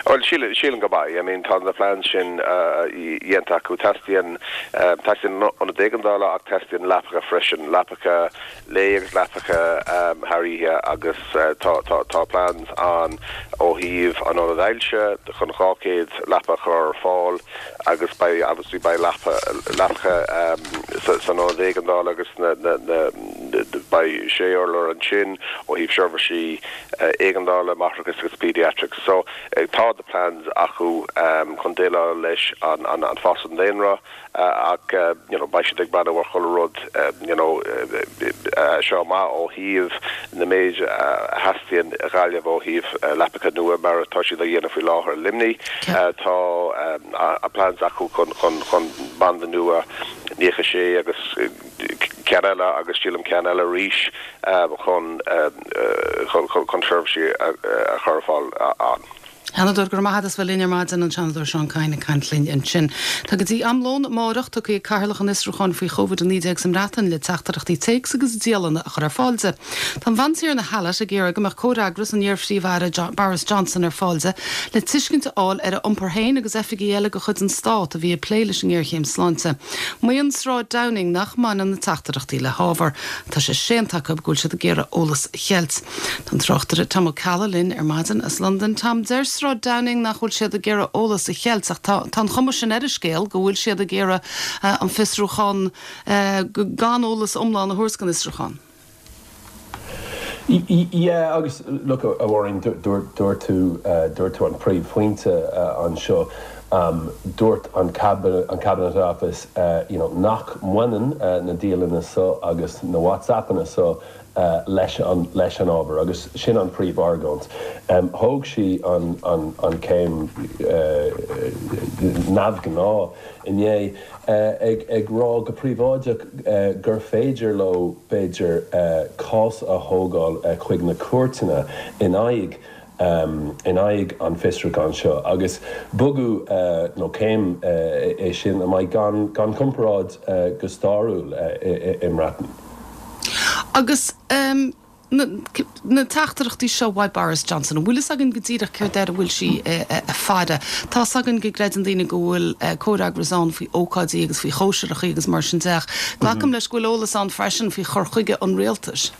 Bhuel, sílim go mbeidh. I mean, tá na plans sin déanta acu. Teastaíonn, teastaíonn ionad éigeandála ach teastaíonn leapacha freisin, leapacha lae agus leapacha thar oíche agus tá, tá, tá plans ann ó thaobh an ionad ailse chun dhá chéad leapa a chur ar fáil agus beidh, obviously beidh leapa, leapacha san ionad éigeandála agus na, na, na, Beidh sé urlár ansin ó thaobh seirbhísí éigeandála, máithreachais agus pediatrics. So tá the plans acu chun déileáil leis an an fás an daonra ach you know beidh siad ag breathnú ar chuile rud you know seo amach ó thaobh na méid a theastaíonn i Gaillimh ó thaobh leapacha nua mar atá siad a dhéanamh faoi láthair i Luimnigh. Tá a plans acu chun chun chun banda nua nócha sé agus ceann eile agus sílim ceann eile arís chun chun chun seirbhísí a chur ar fáil ann. Seanadóir, Go raibh maith agat as bheith linn ar maidin, an Seanadóir Seán Kyne ag caint linn ansin. Tá go dtí am lóin amárach tugtha ag Cathaoirleach an Fhiosrúcháin faoi Covid a naoi déag sa mBreatain le teachtaireachtaí téacs agus dialanna a chur ar fáil di. Tá an Bhantiarna Hallett ag iarraidh go mbeadh comhfhreagras an iar-phríomh-aire Boris Johnson ar fáil di le tuiscint a fháil ar a iompar féin agus oifigigh eile de chuid an Stát a bhí ag plé leis an ngéarchéim sláinte. Maíonn Sráid Downing nach mbaineann na teachtaireachtaí le hábhar. Tá sé séanta acu go bhfuil siad ag iarraidh eolas a cheilt. Tá an tráchtaire Tom Ó Ceallaigh linn ar maidin as Londain. Tom, deir Sráid Downing nach bhfuil siad ag iarraidh eolas a cheilt ach tá an chuma sin ar an scéal go bhfuil siad ag iarraidh an fiosrúchán gan eolas iomlán a thabhairt don fhiosrúchán. Yeah, agus look, a Mháirín, dúirt tú dúirt tú an príomhphointe anseo. Um, dúirt an cabinet, an Cabinet Office uh, you know, nach mbaineann uh, na dialanna so agus na WhatsAppanna so uh, leis an, leis an ábhar agus sin an príomhargóint. Um, thóg sí an, an, an céim uh, neamhghnáth inné uh, ag, ag rá go príobháideach uh, gur féidir leo b'fhéidir uh, cás a thógáil uh, chuig na cúirteanna in aghaidh um, in aghaidh an fiosrúchán seo agus bogadh uh, nó céim uh, é sin a mbeidh gan, gan comparáid uh, go stairiúil uh, i, i, i mBreatain. Agus um, na, na teachtaireachtaí seo uaidh Boris Johnson, bhfuil fhios againn go díreach céard air a bhfuil sí ag faire. Tá againn go gcreideann daoine go bhfuil comhfhreagras ann faoi ócáidí agus faoi chóisireacha agus mar sin de. Glacaim leis go bhfuil eolas ann freisin faoi chur chuige an rialtais.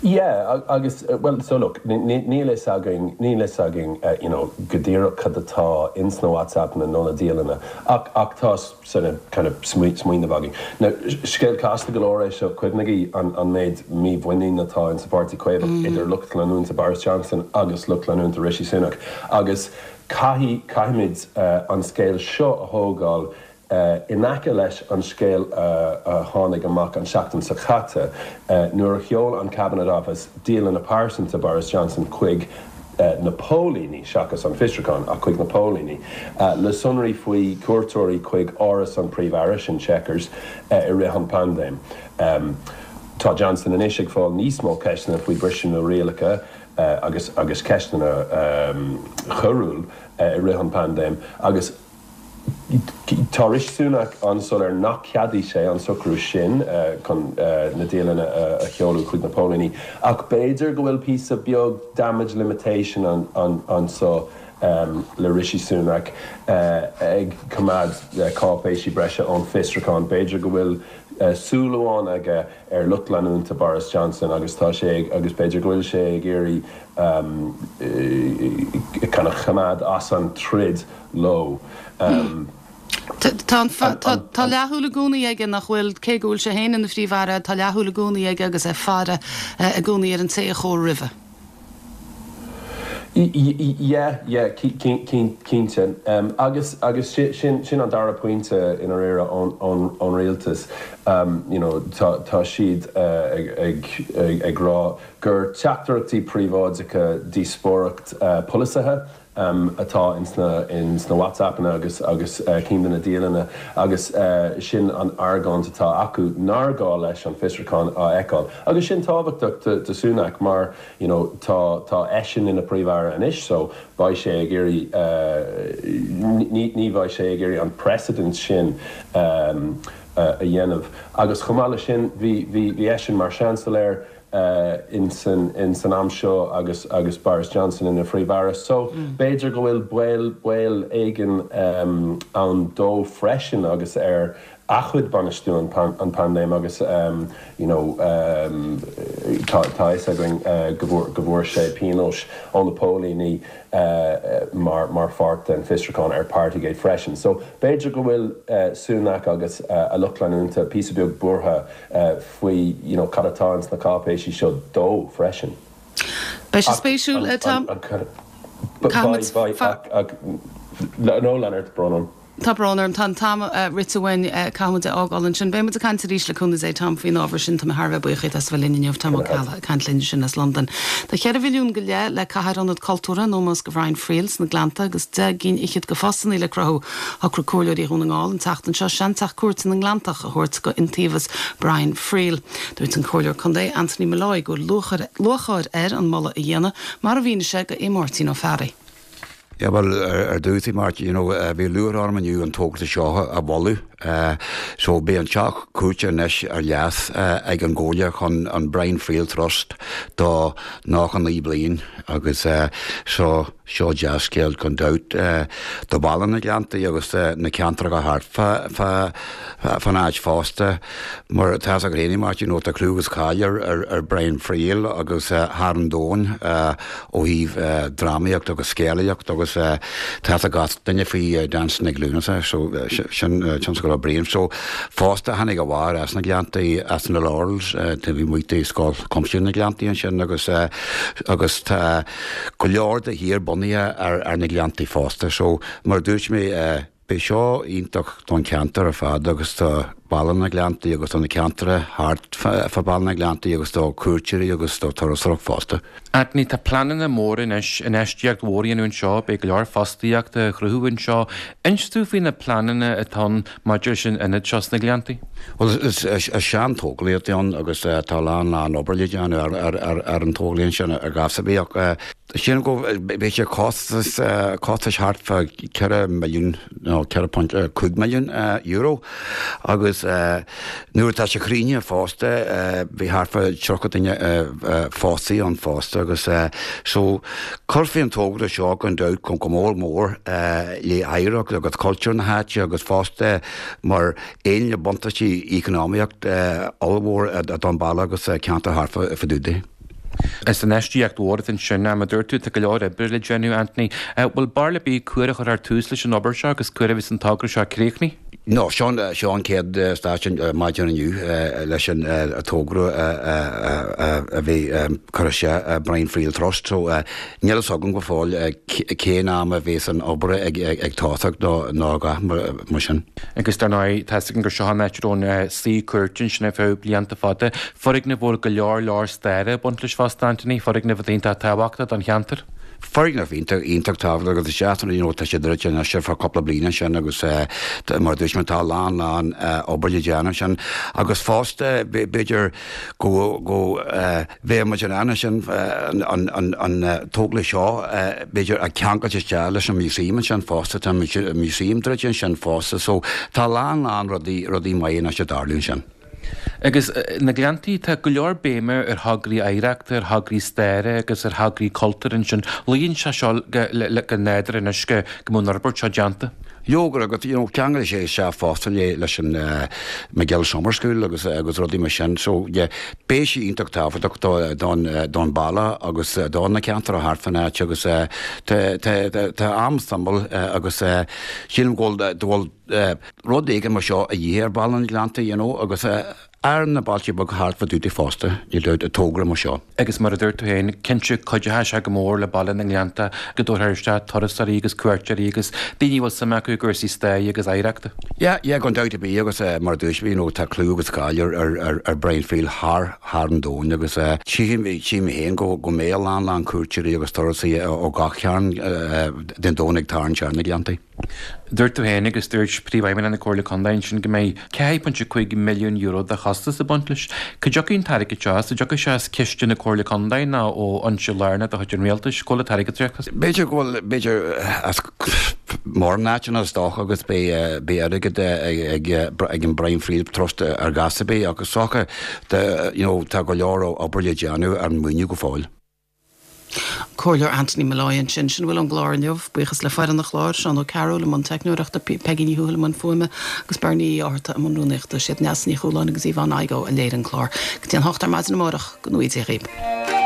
Yeah, agus well so look níl fhios againn níl fhios againn uh, you know go díreach cad atá ins na WhatsApp na nó na dialanna ach ach tá sort of kind of smaoineamh againn. Now scéal casta go leor é seo cuimhnigí an an méid mímhuinín atá in sa Pháirtí Caomhach mm. idir lucht leanúna Boris Johnson agus lucht leanúna Rishi Sunak agus caithfidh caithfimid uh, an scéal seo a thógáil Uh, in aice leis an scéal uh, a tháinig amach an seachtain seo caite uh, nuair a sheol an Cabinet Office dialanna pearsanta Boris Johnson chuig uh, na póilíní seachas an fiosrúchán ach chuig na póilíní. Uh, le sonraí faoi cuairteoirí chuig áras an Phríomh-Aire in Chequers uh, i rith an paindéim. Um, tá Johnson anois ag fáil níos mó ceisteanna faoi briseadh na rialacha uh, agus agus ceisteanna um, choiriúil uh, i rith an paindéim agus Tá Rishi Sunak an-soiléir nach ceadóidh sé an socrú sin uh, chun uh, na dialanna uh, a sheoladh chuig na póilíní. Ach b'fhéidir go bhfuil píosa beag damage limitation an, an, anseo um, le Rishi Sunak uh, ag coimeád uh, cáipéisí breise ón fiosrúchán. B'fhéidir go bhfuil uh, súil amháin aige ar lucht leanúna Boris Johnson agus tá sé agus b'fhéidir go bhfuil sé ag iarraidh um, uh, kind of choimeád as an troid leo. Um, Tá tá leathshúil i gcónaí aige nach bhfuil cé go bhfuil sé féin ina phríomh-aire, tá leathshúil i gcónaí aige agus é ag faire i gcónaí ar an té a chuaigh roimhe. Yeah, yeah, cinnte. Um, agus agus sin sin an dara pointe in aréire ón rialtas. Um, you know, tá tá siad uh, ag, ag, ag, ag rá gur teachtaireachtaí príobháideacha díospóireacht uh, polasaithe um, atá ins na, ins na WhatsAppanna agus agus uh, cinn de na dialanna agus uh, sin an argóint atá acu nár ghá leis an fiosrúchán a fheiceáil. Agus sin tábhachtach do, do Sunak mar you know, tá, tá eisean ina phríomh-aire anois so beidh sé ag iarraidh uh, ní, ní bheidh sé ag iarraidh an precedent sin um, uh, a dhéanamh. Agus chomh maith leis sin bhí bhí eisean mar seansailéir uh, in san in san am seo agus agus Boris Johnson ina phríomh-aire. So mm. b'fhéidir go bhfuil baol baol éigin um, ann dó freisin agus ar a chuid bainistiú an paindéim agus you know tá tá fhios againn go bhfuair go bhfuair sé pionós ó na póilíní mar mar pháirt den fiosrúchán ar Partygate freisin. So b'fhéidir go bhfuil Sunak agus a lucht leanúnta píosa beag buartha faoi you know cad atá ins na cáipéisí seo dó freisin. Beidh sé spéisiúil Tom. No Leonard brón orm. Tá brón orm, tá an t-am rite uainn, caithfimid é fhágáil ansin. Beidh muid ag caint arís le cúnamh Dé, Tom, faoin ábhar sin. Tá mé thar a bheith buíoch as bheith linn inniu, Tom Ó Ceallaigh ag caint linn ansin as Londain. Tá ceithre mhilliún go leith le caitheamh ar ionad cultúrtha in ómós do Bhrian Friel sna Gleannta agus deich gcinn fhichead de phostanna le cruthú. Shocraigh comhairleoirí Dhún na nGall an tseachtain seo seanteach cúirte na nGleanntach a thabhairt go iontaobhas Brian Friel. Dúirt an Comhairleoir Contae Anthony Molloy go bhfuil lúcháir air an moladh a dhéanamh mar a mhínigh sé do Aodh Máirtín Ó Fearraigh. Yeah, well, ar dtús, Martin, you know, bhí lúcháir orm inniu an togra seo a mholadh. So beidh an teach cúirte anois ar leas ag an gComhairle chun an Brian Friel Trust do nócha naoi bliain agus so seo dea-scéal gan dabht do Bhaile na Gleanntaí agus na ceantracha thart fá fán áit fosta. Mar tá a fhios agat féin, Martin, you know, tá clú agus cáil ar ar Brian Friel agus thar an domhan ó thaobh drámaíocht agus scéalaíocht agus tá fhios ag gach duine faoi Dancing ag Lúnasa so sin tionscal Brian. So fosta tháinig a mháthair as na Gleanntaí as na Laurels taobh amuigh de Scoil Chuimsitheach na Gleanntaí ansin agus agus tá go leor de thír bunaithe ar ar na Gleanntaí fosta. So mar a dúirt mé beidh seo iontach don cheantar ar fad agus do Baile na Gleanntaí agus do na ceantracha thart fá Baile na Gleanntaí agus do cuairteoirí agus do turasóireacht fosta. Anthony, tá pleananna móra anois, infheistíocht mhór a dhéanamh anseo, beidh go leor fostaíochta á chruthú anseo. Inis dúinn faoi na pleananna atá ann maidir leis an ionad seo sna Gleanntaí. Bhuel, is sean-tógáil atá ann agus tá a lán lán obair le déanamh ar an tógáil sin ar ghas ar bith ach sílim go beidh sé costas costais thart fá ceithre milliún nó ceithre point cúig milliún euro agus nuair atá sé críochnaithe fosta beidh thart fá tríocha duine fostaithe ann fosta agus so cuirfidh an togra seo gan dabht go mór mór le hoidhreacht agus cultúr na háite agus fosta mar aon le buntáistí eacnamaíocht ollmhór don bhaile agus ceantar thart fá dtaobh de. Is infheistíocht mhór atá ansin, mar a dúirt tú, tá go leor oibre le déanamh, Anthony. Bhfuil barúil ar bith cá huair a chuirfear tús leis an obair seo agus cá huair a bheas an togra seo críochnaithe? No, seo seo an chéad stáisiún maidin inniu leis an togra a bhí curtha isteach Brian Friel Trust so níl fhios agam go fóill cén am a bheas an obair ag tosacht nó a dhath mar sin. Agus dar ndóigh, tá fhios againn gur seo an áit a raibh an suí cúirte ansin ar feadh blianta fada. Foirgneamh a bhfuil go leor leor staire ag baint leis fosta, Anthony, foirgneamh atá iontach tábhachtach don cheantar. Foirgneamh iontach iontach tábhachtach agus is deas you know tá sé druidte anois ar feadh cúpla bliain ansin agus mar a dúirt mé tá a lán lán obair le déanamh ansin agus fosta b'fhéidir go go bheadh muid in ann ansin an an an tógáil seo b'fhéidir a cheangailt isteach leis an museum ansin fosta tá an museum druidte ansin fosta so tá a lán lán rudaí rudaí maithe anois ag tarlú ansin. Agus na Gleanntaí, tá go leor béime ar thograí oidhreachta, ar thograí staire agus ar thograí cultúir ansin. Luíonn sé seo go nádúrtha anois go mbeadh an fhorbairt seo déanta. Leoga, agus you know ceangailfidh sé isteach fosta le leis an Magill Summer School agus agus rudaí mar sin. So yeah, beidh sé iontach tábhachtach do don don baile agus do na ceantracha thart fán áit agus tá tá tá am suimiúil agus sílim go bhfuil go bhfuil rud éigin mar seo a dhíth ar Bhaile na Gleanntaí, you know, agus ar na bailte beaga thart fá dtaobh de fosta, níl dabht, togra mar seo. Agus mar a dúirt tú féin, cinnte cuideoidh sé go mór le Baile na nGleannta go dtabharfar isteach turasóirí agus cuairteoirí agus daoine a bhfuil suim acu i gcúrsaí staire agus oidhreachta. Yeah, yeah, gan dabht ar bith agus mar a dúirt mé, you know, tá clú agus cáil ar, ar, ar, ar Brian Friel thar, thar an domhain agus tchím, tchím féin go, go mbeidh a lán, lán cuairteoirí agus turasóirí ó gach cearn den domhan ag tarraingt ar na Gleanntaí. Dúirt tú féin agus dúirt Príomhfheidhmeannach na Comhairle Contae ansin go mbeidh ceathair pointe cúig milliún euro de chostas ag baint leis. Cá dtiocfaidh an t-airgead seo as? An dtiocfaidh sé as ciste na Comhairle Contae nó ó fhoinse lárnach de chuid an Rialtais? Cá bhfuil an t-airgead ag teacht as? B'fhéidir go bhfuil, b'fhéidir as mórán áiteanna is dócha agus beidh beidh airgead ag ag an Brian Friel Trust ar ghas ar bith agus is dócha you know tá go leor obair le déanamh ar an maoiniú go fóill. Comhairleoir Anthony Molloy ansin sin a bhfuil ón gclár inniu, buíochas le foireann an chláir, Seán Ó Cearúil i mbun teicneoireachta, Peigí Ní Thuathail i mbun fuaime agus Bernie Uí Fhátharta i mbun rúnaíochta. Siad Neasa Ní Chualáin agus Yvonne Igoe a léirigh an clár. Go dtí an hocht ar maidin amárach, go ngnóthaí Dia dhaoibh.